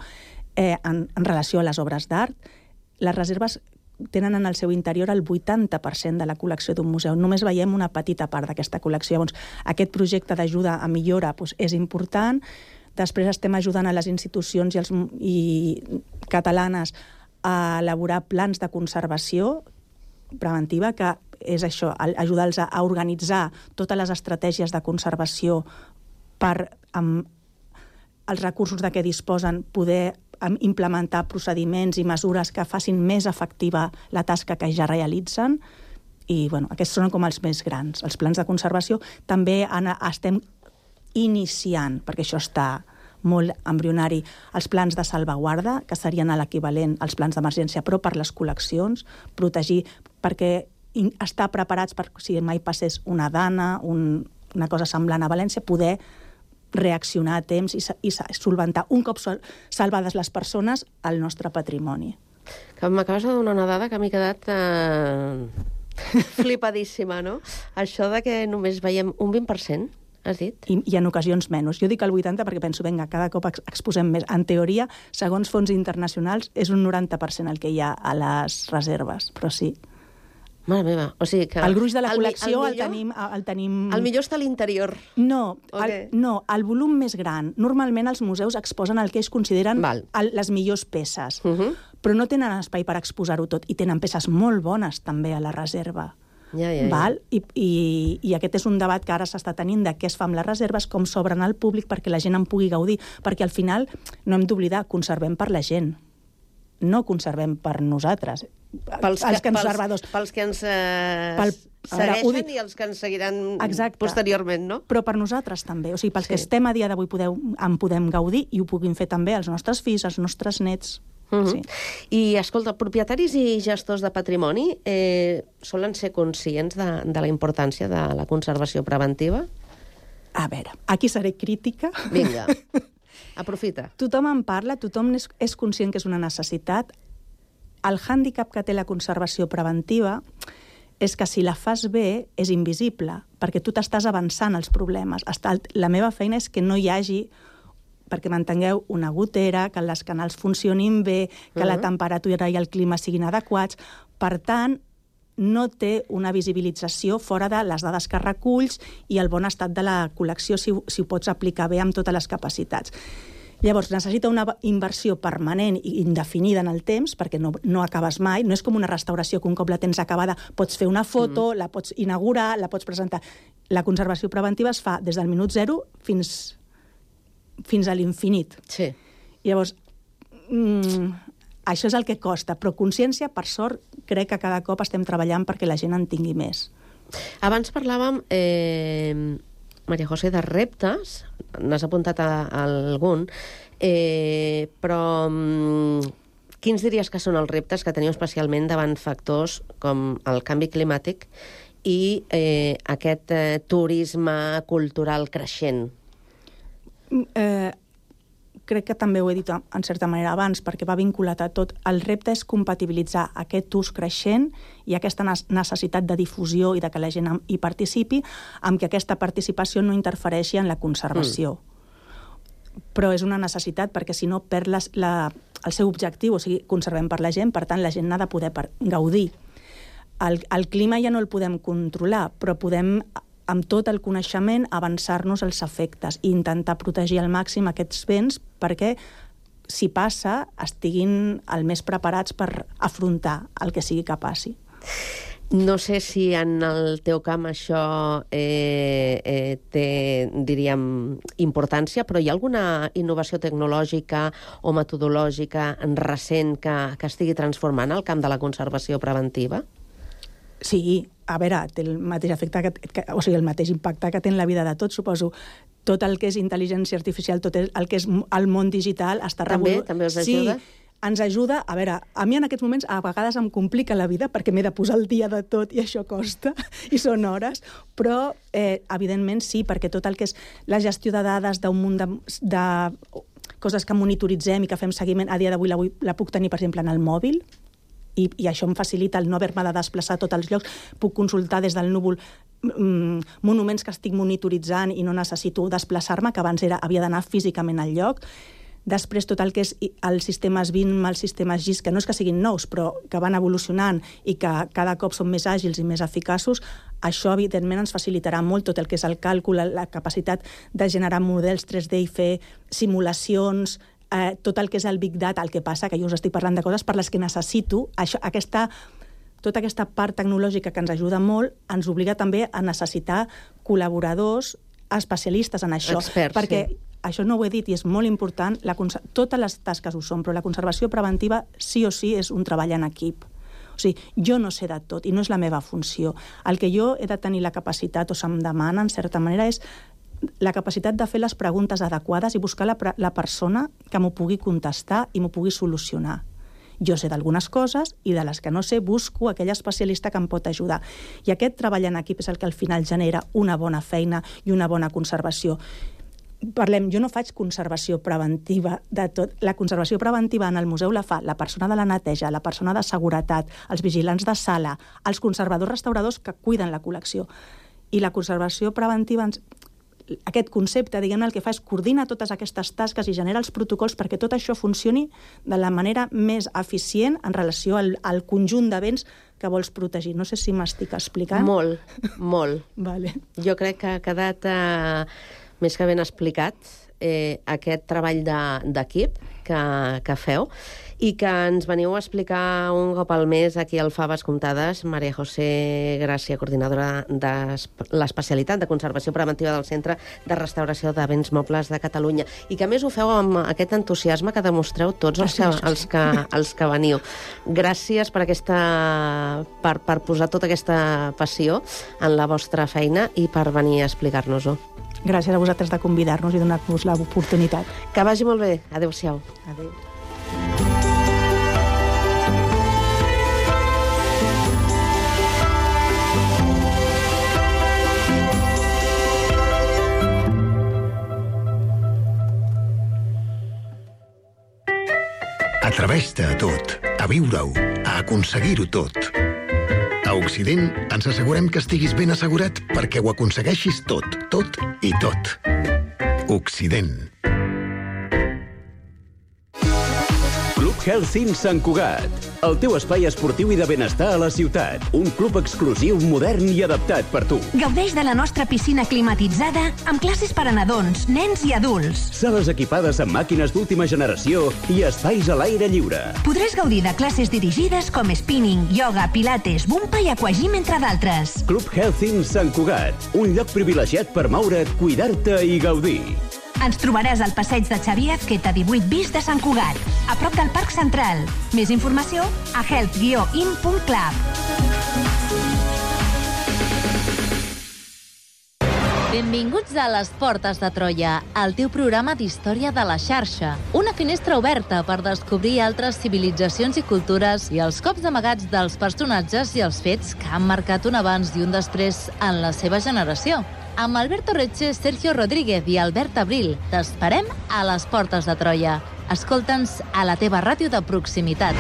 en relació a les obres d'art, les reserves tenen en el seu interior el 80% de la col·lecció d'un museu. Només veiem una petita part d'aquesta col·lecció. Llavors, aquest projecte d'ajuda a millora és important. Després estem ajudant a les institucions catalanes a elaborar plans de conservació preventiva, que és això, ajudar-los a organitzar totes les estratègies de conservació per, amb els recursos de què disposen, poder implementar procediments i mesures que facin més efectiva la tasca que ja realitzen. I aquests són com els més grans. Els plans de conservació també estem iniciant, perquè això està molt embrionari, els plans de salvaguarda, que serien l'equivalent als plans d'emergència, però per les col·leccions, protegir, perquè estar preparats per, si mai passés una dana, una cosa semblant a València, poder reaccionar a temps i solventar un cop salvades les persones el nostre patrimoni. M'acabes de donar una dada que m'he quedat flipadíssima, no? Això de que només veiem un 20%, has dit? I en ocasions menys. Jo dic el 80% perquè penso, cada cop exposem més. En teoria, segons fons internacionals, és un 90% el que hi ha a les reserves, però sí. Mare meva, o sigui que... El gruix de la col·lecció el tenim... El millor està a l'interior. No, el volum més gran. Normalment els museus exposen el que ells consideren les millors peces, però no tenen espai per exposar-ho tot, i tenen peces molt bones també a la reserva. I aquest és un debat que ara s'està tenint de què es fa amb les reserves, com s'obren al públic perquè la gent en pugui gaudir, perquè al final no hem d'oblidar, conservem per la gent, no conservem per nosaltres. Pels que ens segueixen i els que ens seguiran posteriorment, no? Però per nosaltres també. O sigui, pels que estem a dia d'avui en podem gaudir i ho puguin fer també els nostres fills, els nostres nets. I, escolta, propietaris i gestors de patrimoni solen ser conscients de la importància de la conservació preventiva? A veure, aquí seré crítica. El hàndicap que té la conservació preventiva és que si la fas bé és invisible, perquè tu t'estàs avançant als problemes. La meva feina és que no hi hagi, perquè m'entengueu, una gotera, que les canals funcionin bé, que la temperatura i el clima siguin adequats. Per tant, no té una visibilització fora de les dades que reculls i el bon estat de la col·lecció si ho pots aplicar bé amb totes les capacitats. Llavors, necessita una inversió permanent i indefinida en el temps, perquè no acabes mai. No és com una restauració que un cop la tens acabada pots fer una foto, la pots inaugurar, la pots presentar. La conservació preventiva es fa des del minut 0 fins a l'infinit. Sí. Llavors, això és el que costa, però consciència, per sort, crec que cada cop estem treballant perquè la gent en tingui més. Abans parlàvem, Maria José, de reptes, n'has apuntat algun, però quins diries que són els reptes que teniu especialment davant factors com el canvi climàtic i aquest turisme cultural creixent? Crec que també ho he dit en certa manera abans, perquè va vinculat a tot. El repte és compatibilitzar aquest ús creixent i aquesta necessitat de difusió i de que la gent hi participi, amb que aquesta participació no interfereixi en la conservació. Però és una necessitat perquè si no perd el seu objectiu, o sigui, conservem per la gent, per tant la gent n'ha de poder gaudir. El clima ja no el podem controlar, però podem amb tot el coneixement, avançar-nos els efectes i intentar protegir al màxim aquests béns perquè, si passa, estiguin el més preparats per afrontar el que sigui que passi. No sé si en el teu camp això té, diríem, importància, però hi ha alguna innovació tecnològica o metodològica recent que estigui transformant el camp de la conservació preventiva? Sí, a veure, té el mateix efecte, o sigui, el mateix impacte que té en la vida de tots, suposo. Tot el que és intel·ligència artificial, tot el que és el món digital està revolucionant. També us ajuda? Sí, ens ajuda. A veure, a mi en aquests moments a vegades em complica la vida perquè m'he de posar el dia de tot i això costa, i són hores, però evidentment sí, perquè tot el que és la gestió de dades d'un munt de coses que monitoritzem i que fem seguiment, a dia d'avui la puc tenir, per exemple, en el mòbil, i això em facilita el no haver-me de desplaçar a tots els llocs. Puc consultar des del núvol monuments que estic monitoritzant i no necessito desplaçar-me, que abans havia d'anar físicament al lloc. Després, tot el que és els sistemes BIM, els sistemes GIS, que no és que siguin nous, però que van evolucionant i que cada cop són més àgils i més eficaços, això, evidentment, ens facilitarà molt tot el que és el càlcul, la capacitat de generar models 3D i fer simulacions, tot el que és el Big Data. El que passa que jo us estic parlant de coses per les que necessito. Tota aquesta part tecnològica que ens ajuda molt ens obliga també a necessitar col·laboradors especialistes en això. Experts, perquè sí. Això no ho he dit i és molt important, totes les tasques ho són, però la conservació preventiva sí o sí és un treball en equip. O sigui, jo no sé de tot i no és la meva funció. El que jo he de tenir la capacitat o se'm demana, en certa manera, és la capacitat de fer les preguntes adequades i buscar la persona que m'ho pugui contestar i m'ho pugui solucionar. Jo sé d'algunes coses i de les que no sé busco aquell especialista que em pot ajudar. I aquest treball en equip és el que al final genera una bona feina i una bona conservació. Jo no faig conservació preventiva de tot. La conservació preventiva en el museu la fa la persona de la neteja, la persona de seguretat, els vigilants de sala, els conservadors restauradors que cuiden la col·lecció. I la conservació preventiva, aquest concepte, diguem-ne, el que fa és coordinar totes aquestes tasques i genera els protocols perquè tot això funcioni de la manera més eficient en relació al conjunt de béns que vols protegir. No sé si m'estic explicant. Molt, molt. Vale. Jo crec que ha quedat més que ben explicat aquest treball d'equip que feu i que ens veniu a explicar un cop al mes aquí al Faves Comptades. Maria José Gràcia, coordinadora de l'especialitat de conservació preventiva del Centre de Restauració de Béns Mobles de Catalunya. I que a més ho feu amb aquest entusiasme que demostreu tots els que veniu. Gràcies per posar tota aquesta passió en la vostra feina i per venir a explicar-nos-ho. Gràcies a vosaltres de convidar-nos i donar-nos l'oportunitat. Que vagi molt bé. Adéu-siau. Adéu. Atreveix-te a tot. a viure-ho, a aconseguir-ho tot. A Occident ens assegurem que estiguis ben assegurat perquè ho aconsegueixis tot, tot i tot. Occident. Club Health Sant Cugat, el teu espai esportiu i de benestar a la ciutat. Un club exclusiu, modern i adaptat per tu. Gaudeix de la nostra piscina climatitzada amb classes per a nadons, nens i adults. Sales equipades amb màquines d'última generació i espais a l'aire lliure. Podràs gaudir de classes dirigides com spinning, yoga, pilates, bumpa i aquagym, entre d'altres. Club Health Sant Cugat, un lloc privilegiat per moure't, cuidar-te i gaudir. Ens trobaràs al passeig de Xavier Azqueta 18 bis de Sant Cugat, a prop del Parc Central. Més informació a health-in.club. Benvinguts a Les Portes de Troia, el teu programa d'història de la xarxa. Una finestra oberta per descobrir altres civilitzacions i cultures i els cops amagats dels personatges i els fets que han marcat un abans i un després en la seva generació. Amb Alberto Reche, Sergio Rodríguez i Albert Abril, t'esperem a Les Portes de Troia. Escolta'ns a la teva ràdio de proximitat.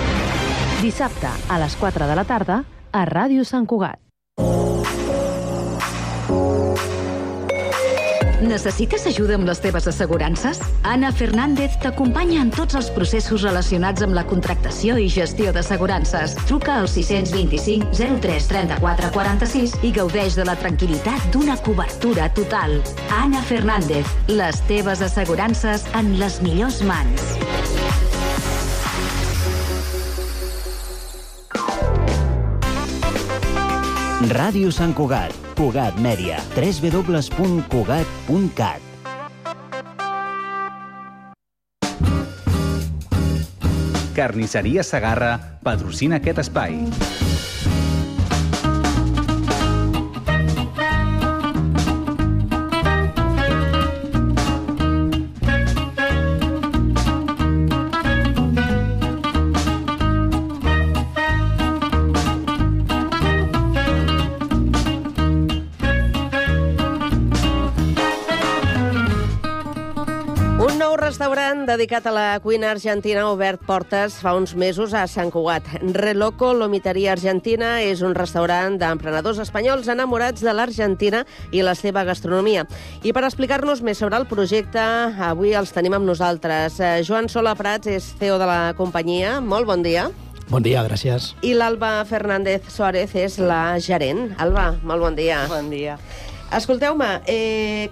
Dissabte, a les 4 de la tarda, a Ràdio Sant Cugat. Necessites ajuda amb les teves assegurances? Ana Fernández t'acompanya en tots els processos relacionats amb la contractació i gestió d'assegurances. Truca al 625 03 34 46 i gaudeix de la tranquil·litat d'una cobertura total. Ana Fernández, les teves assegurances en les millors mans. Ràdio Sant Cugat, Cugat Mèdia, www.cugat.cat. Carnisseria Segarra patrocina aquest espai. Restaurant dedicat a la cuina argentina ha obert portes fa uns mesos a Sant Cugat. Reloco Lomiteria Argentina és un restaurant d'emprenedors espanyols enamorats de l'Argentina i la seva gastronomia. I per explicar-nos més sobre el projecte, avui els tenim amb nosaltres. Joan Sola Prats és CEO de la companyia. Molt bon dia. Bon dia, gràcies. I l'Alba Fernández Suárez és la gerent. Alba, molt bon dia. Bon dia. Escolteu-me,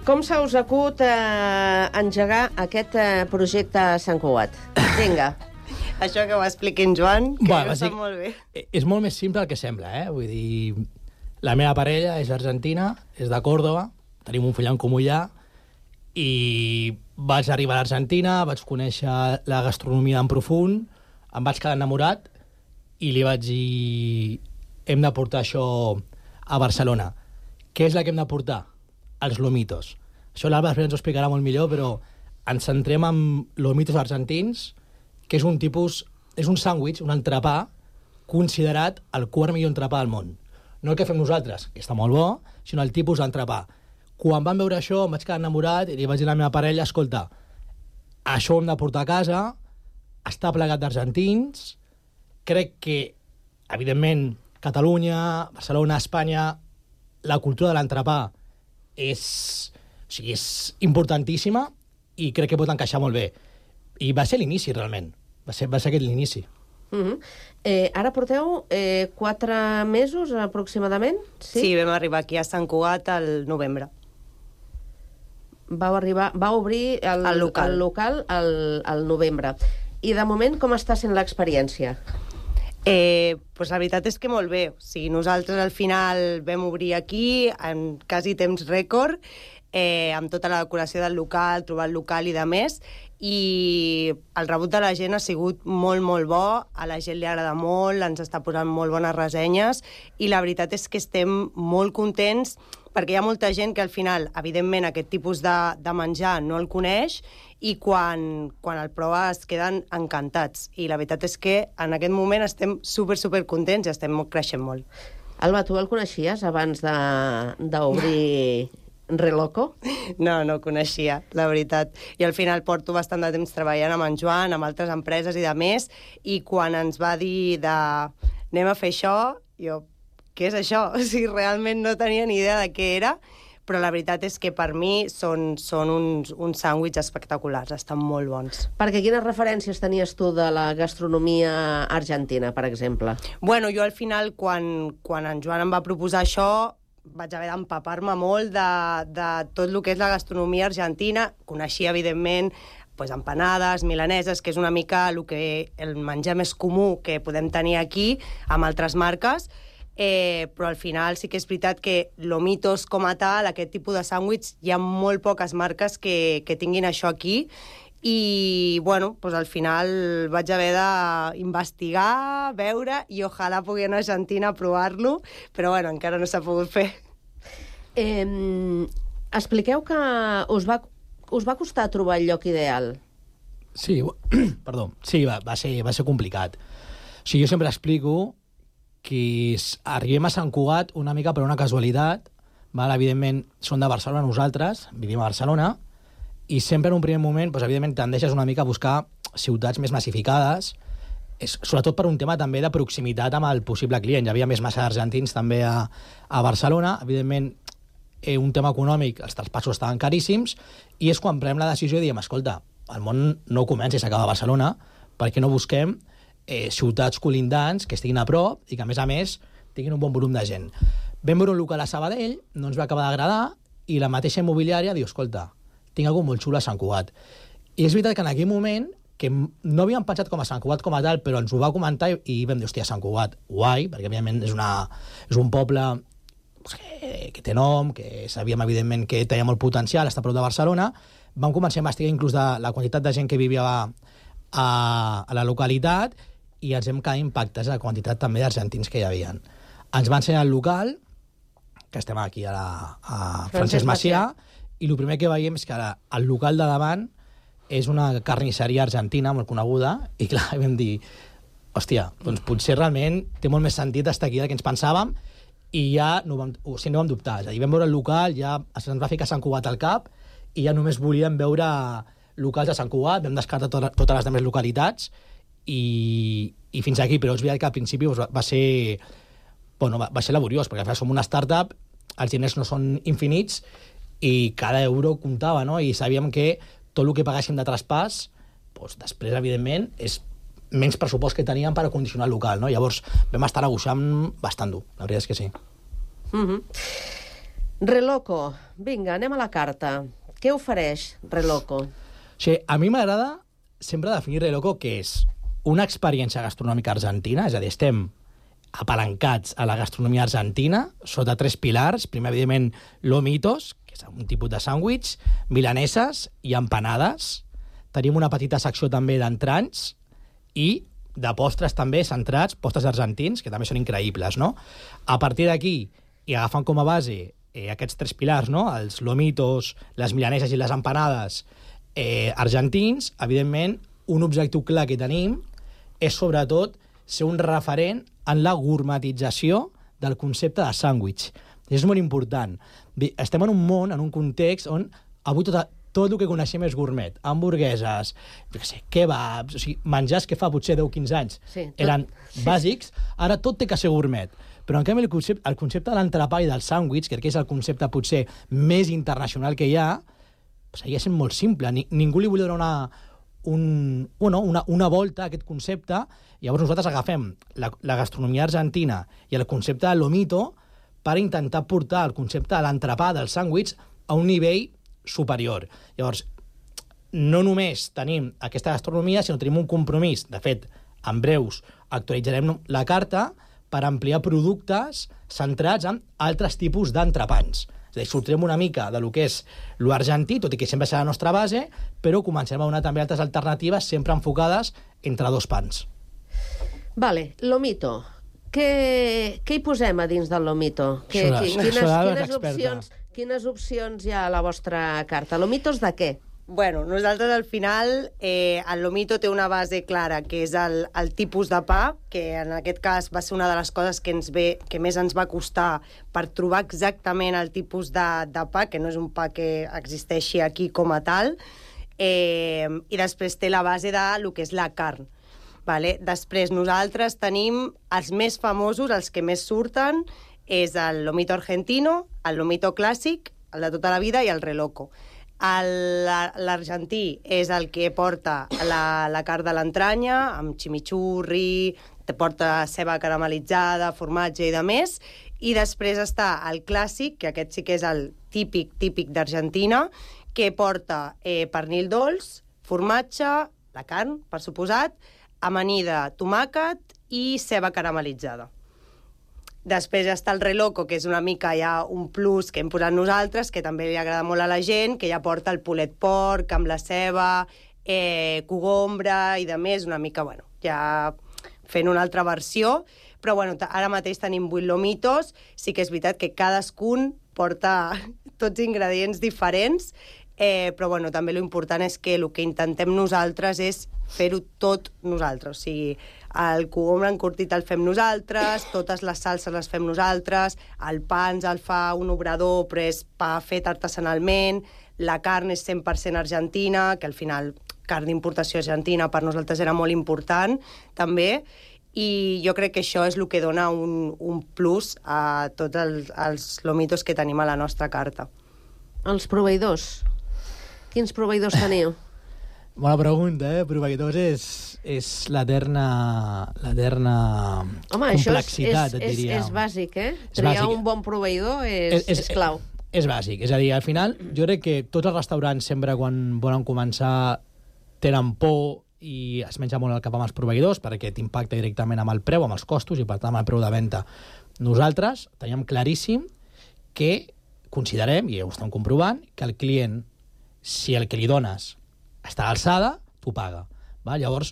com se us acut engegar aquest projecte a Sant Cugat? Vinga. Això que ho expliqui en Joan, que ho sap molt bé. És molt més simple el que sembla, Vull dir, la meva parella és argentina, és de Còrdova, tenim un fill en comú allà, i vaig arribar a l'Argentina, vaig conèixer la gastronomia en profund, em vaig quedar enamorat, i li vaig dir, hem de portar això a Barcelona. Què és la que hem de portar? Els lomitos. Això l'Alba ens ho explicarà molt millor, però ens centrem en lomitos argentins, que és un tipus, és un sàndwich, un entrepà, considerat el quart millor entrepà del món. No el que fem nosaltres, que està molt bo, sinó el tipus d'entrepà. Quan vam veure això, em vaig quedar enamorat i li vaig dir a la meva parella, escolta, això ho hem de portar a casa, està plegat d'argentins, crec que, evidentment, Catalunya, Barcelona, Espanya, la cultura de l'entrepà és importantíssima i crec que pot encaixar molt bé. I va ser l'inici, realment. Va ser aquest l'inici. Ara porteu 4 mesos, aproximadament? Sí, vam arribar aquí a Sant Cugat al novembre. Va obrir el local al novembre. I de moment, com està sent l'experiència? Pues la veritat és que molt bé. O sigui, nosaltres al final vam obrir aquí en quasi temps rècord, amb tota la decoració del local, trobar el local i de més, i el rebut de la gent ha sigut molt, molt bo, a la gent li agrada molt, ens està posant molt bones ressenyes, i la veritat és que estem molt contents, perquè hi ha molta gent que al final, evidentment, aquest tipus de menjar no el coneix, i quan el prova es queden encantats. I la veritat és que en aquest moment estem super contents i estem creixent molt. Alba, tu el coneixies abans d'obrir Reloco? No, no coneixia, la veritat. I al final porto bastant de temps treballant amb en Joan, amb altres empreses i de més, i quan ens va dir de anem a fer això, jo, què és això? O sigui, realment no tenia ni idea de què era, però la veritat és que per mi són uns sàndwichs espectaculars, estan molt bons. Perquè quines referències tenies tu de la gastronomia argentina, per exemple? Bueno, jo al final, quan en Joan em va proposar això, vaig haver d'empapar-me molt de tot el que és la gastronomia argentina. Coneixia, evidentment, empanades, milaneses, que és una mica el menjar més comú que podem tenir aquí, amb altres marques, però al final sí que és veritat que Lomitos com a tal, aquest tipus de sàndwich, hi ha molt poques marques que tinguin això aquí, i bueno, al final vaig haver d'investigar, veure, i ojalà pugui anar a Argentina a provar-lo, però bueno, encara no s'ha pogut fer. Expliqueu que us va costar trobar el lloc ideal. Sí, perdó, sí, va ser complicat. O sigui, jo sempre explico que arribem a Sant Cugat una mica per una casualitat, val? Evidentment són de Barcelona nosaltres, vivim a Barcelona, i sempre en un primer moment, evidentment, tendeixes una mica a buscar ciutats més massificades, sobretot per un tema també de proximitat amb el possible client. Hi havia més massa argentins també a Barcelona, evidentment, un tema econòmic, els traspassos estaven caríssims, i és quan prenem la decisió i diem, escolta, el món no comença i s'acaba a Barcelona, perquè no busquem ciutats colindants que estiguin a prop i que, a més, tinguin un bon volum de gent. Vam veure un local a Sabadell, no ens va acabar d'agradar, i la mateixa immobiliària diu, escolta, tinc alguna cosa molt xula a Sant Cugat. I és veritat que en aquell moment, que no havíem pensat com a Sant Cugat com a tal, però ens ho va comentar i vam dir, hòstia, Sant Cugat, guai, perquè evidentment és un poble que té nom, que sabíem evidentment que tenia molt potencial, està a prop de Barcelona. Vam començar a investigar inclús de la quantitat de gent que vivia a la localitat, i ens hem quedat impactats a la quantitat també d'argentins que hi havia. Ens va ensenyar el local, que estem aquí a Francesc Macià, i el primer que veiem és que el local de davant és una carnisseria argentina molt coneguda, i clar, vam dir, hòstia, doncs potser realment té molt més sentit estar aquí del que ens pensàvem, i ja no vam dubtar. És a dir, vam veure el local, ja ens va ficar Sant Cugat al cap, i ja només volíem veure locals de Sant Cugat, vam descartar totes les altres localitats, i fins aquí, però és veritat que al principi va ser laboriós, perquè al final som una startup, els diners no són infinits, i cada euro comptava, no? I sabíem que tot el que pagàssim de traspàs, després, evidentment, és menys pressupost que teníem per acondicionar el local, no? Llavors vam estar negociant bastant dur, la veritat és que sí. Reloco, vinga, anem a la carta. Què ofereix Reloco? Sí, a mi m'agrada sempre definir Reloco que és una experiència gastronòmica argentina, és a dir, estem apalancats a la gastronomia argentina sota 3 pilars. Primer, evidentment, Lomitos, que és un tipus de sàndwich, milaneses i empanades. Tenim una petita secció també d'entranys i de postres també centrats, postres argentins, que també són increïbles, no? A partir d'aquí, i agafant com a base aquests 3 pilars, no? Els Lomitos, les milaneses i les empanades argentins, evidentment, un objectiu clar que tenim és, sobretot, ser un referent en la gourmetització del concepte de sàndwich. És molt important. Estem en un món, en un context on avui tot el que coneixem és gourmet. Hamburgueses, kebabs, o sigui, menjars que fa potser 10-15 anys eren bàsics, ara tot té que ser gourmet. Però en canvi el concepte de l'entrepà i del sàndwich, que és el concepte potser més internacional que hi ha, seguia sent molt simple. Ningú li volia donar una volta a aquest concepte. Llavors nosaltres agafem la gastronomia argentina i el concepte de Lomito per intentar portar el concepte de l'entrepà, del sàndwich, a un nivell superior. Llavors, no només tenim aquesta gastronomia, sinó tenim un compromís. De fet, en breus actualitzarem la carta per ampliar productes centrats en altres tipus d'entrepans. És a dir, sortirem una mica de lo que és l'argentí, tot i que sempre serà la nostra base, però començarem a donar també altres alternatives sempre enfocades entre 2 pans. Vale, Lomito. Què hi posem a dins del Lomito? Quines opcions hi ha a la vostra carta? Lomitos de què? Bueno, nosaltres al final el lomito té una base clara, que és el tipus de pa, que en aquest cas va ser una de les coses que més ens va costar per trobar exactament el tipus de pa, que no és un pa que existeixi aquí com a tal, i després té la base de lo que és la carn. Vale? Després nosaltres tenim els més famosos, els que més surten, és el lomito argentino, el lomito clàssic, el de tota la vida, i el reloco. L'argentí és el que porta la carn de l'entranya, amb chimichurri, te porta ceba caramelitzada, formatge i de més, i després està el clàssic, que aquest sí que és el típic d'Argentina, que porta pernil dolç, formatge, la carn, per suposat, amanida, tomàquet i ceba caramelitzada. Després està el reloco, que és una mica ja un plus que hem posat nosaltres, que també li agrada molt a la gent, que ja porta el pulet porc amb la ceba, cogombra i de més, una mica, bueno, ja fent una altra versió. Però bueno, ara mateix tenim 8 lomitos, sí que és veritat que cadascun porta tots ingredients diferents, però bueno, també l'important és que el que intentem nosaltres és fer-ho tot nosaltres, o sigui, el cogombre encurtit el fem nosaltres, totes les salses les fem nosaltres, el pa ens el fa un obrador, però és pa fet artesanalment, la carn és 100% argentina, que al final carn d'importació argentina per nosaltres era molt important, també, i jo crec que això és el que dona un plus a tots els lomitos que tenim a la nostra carta. Els proveïdors. Quins proveïdors teniu? Bona pregunta, Proveïdors és l'eterna complexitat, et diria. És bàsic, Triar un bon proveïdor és clau. És bàsic, és a dir, al final, jo crec que tots els restaurants sempre quan volen començar tenen por i es menja molt el cap amb els proveïdors perquè t'impacta directament amb el preu, amb els costos i per tant amb el preu de venda. Nosaltres teníem claríssim que considerem, i ho estem comprovant, que el client, si el que li dones està a l'alçada, t'ho paga. Llavors,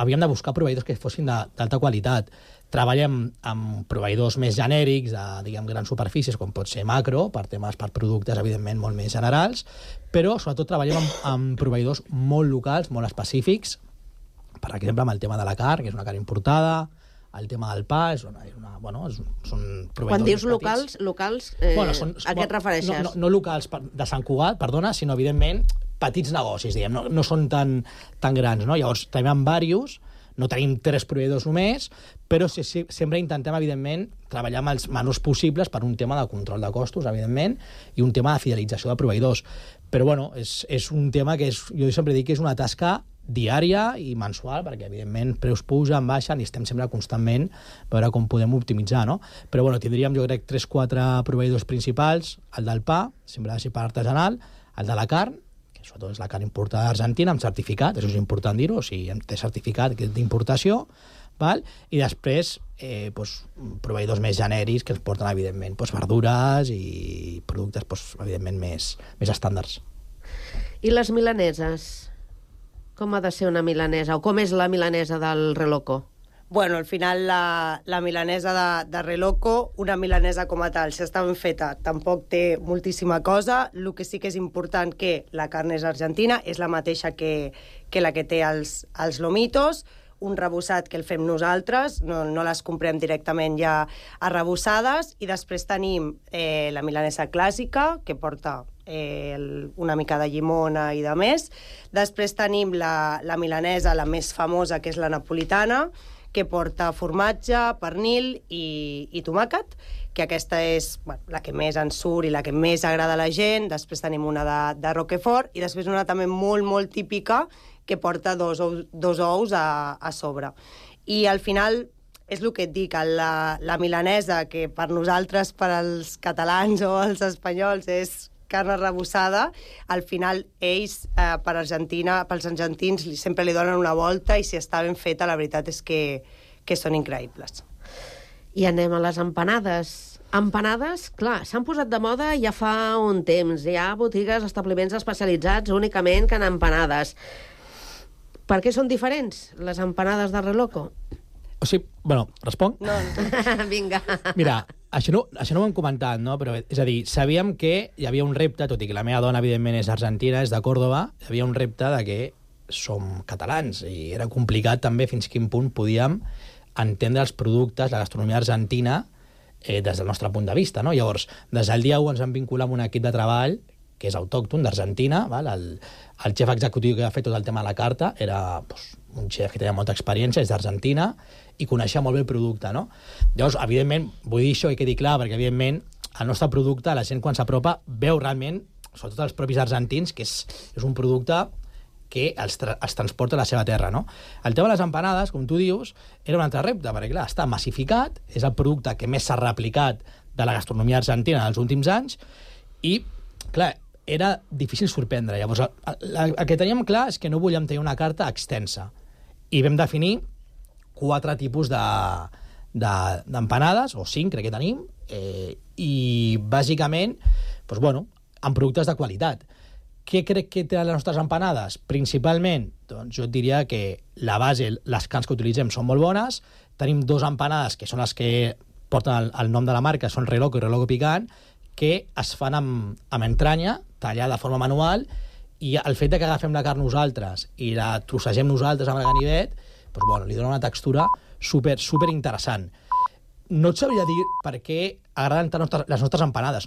havíem de buscar proveïdors que fossin d'alta qualitat. Treballem amb proveïdors més genèrics, de grans superfícies, com pot ser Macro, per productes, evidentment, molt més generals, però sobretot treballem amb proveïdors molt locals, molt específics, per exemple, amb el tema de la carn, que és una carn importada, el tema del pa, són proveïdors. Quan dius locals, a què et refereixes? No locals de Sant Cugat, perdona, sinó, evidentment, petits negocis, diguem, no són tan grans, no? Llavors, tenim diversos, no tenim 3 proveïdors només, però sempre intentem, evidentment, treballar amb els menors possibles per un tema de control de costos, evidentment, i un tema de fidelització de proveïdors. Però, bueno, és un tema que jo sempre dic que és una tasca diària i mensual, perquè, evidentment, preus pugen, baixen, i estem sempre constantment a veure com podem optimitzar, no? Però, bueno, tindríem, jo crec, 3-4 proveïdors principals, el del pa, sempre ha de ser pa artesanal, el de la carn, que sobretot és la carn importada d'Argentina, amb certificat, això és important dir-ho, o sigui, té certificat d'importació, i després proveïdors més genèrics que ens porten, evidentment, verdures i productes, evidentment, més estàndards. I les milaneses? Com ha de ser una milanesa? O com és la milanesa del reloco? Bueno, al final la milanesa de reloco, una milanesa com a tal, si està ben feta, tampoc té moltíssima cosa. El que sí que és important que la carn és argentina, és la mateixa que la que té els lomitos, un rebossat que el fem nosaltres, no les comprem directament ja arrebossades, i després tenim la milanesa clàssica, que porta una mica de llimona i de més. Després tenim la milanesa, la més famosa, que és la napolitana, que porta formatge, pernil i tomàquet, que aquesta és la que més ens surt i la que més agrada a la gent. Després tenim una de Roquefort i després una també molt, molt típica que porta dos ous a sobre. I al final és el que et dic, la milanesa, que per nosaltres, per als catalans o els espanyols, és carn arrebossada, al final ells, pels argentins, sempre li donen una volta i si està ben feta, la veritat és que són increïbles. I anem a les empanades. Empanades, clar, s'han posat de moda ja fa un temps. Hi ha botigues, establiments especialitzats únicament que en empanades. Per què són diferents, les empanades de reloco? O sigui, bueno, responc? No. Vinga. Mira, Això no ho hem comentat, no? Però, és a dir, sabíem que hi havia un repte, tot i que la meva dona, evidentment, és argentina, és de Còrdova, hi havia un repte de que som catalans i era complicat també fins quin punt podíem entendre els productes, la gastronomia argentina, des del nostre punt de vista, no? Llavors, des del dia 1 ens vam vincular amb un equip de treball que és autòcton d'Argentina, el xef executiu que ha fet tot el tema de la carta era un xef que tenia molta experiència, és d'Argentina, i coneixia molt bé el producte, no? Llavors, evidentment, vull dir això i quedi clar, perquè, evidentment, el nostre producte, la gent quan s'apropa, veu realment, sobretot els propis argentins, que és un producte que els transporta a la seva terra, no? El tema de les empanades, com tu dius, era un altre repte, perquè, clar, està massificat, és el producte que més s'ha replicat de la gastronomia argentina en els últims anys, i, clar, era difícil sorprendre. Llavors, el que teníem clar és que no volíem tenir una carta extensa, i vam definir 4 tipus d'empanades, o 5, crec que tenim, i, bàsicament, doncs, bueno, amb productes de qualitat. Què crec que té les nostres empanades? Principalment, doncs jo et diria que la base, les carns que utilitzem són molt bones. Tenim 2 empanades, que són les que porten el nom de la marca, són Reloco i Reloco Picant, que es fan amb entranya, tallada de forma manual, i el fet que agafem la carn nosaltres i la trossegem nosaltres amb el ganivet, doncs, bueno, li dona una textura super interessant. No et sabria dir per què agraden tant les nostres empanades. No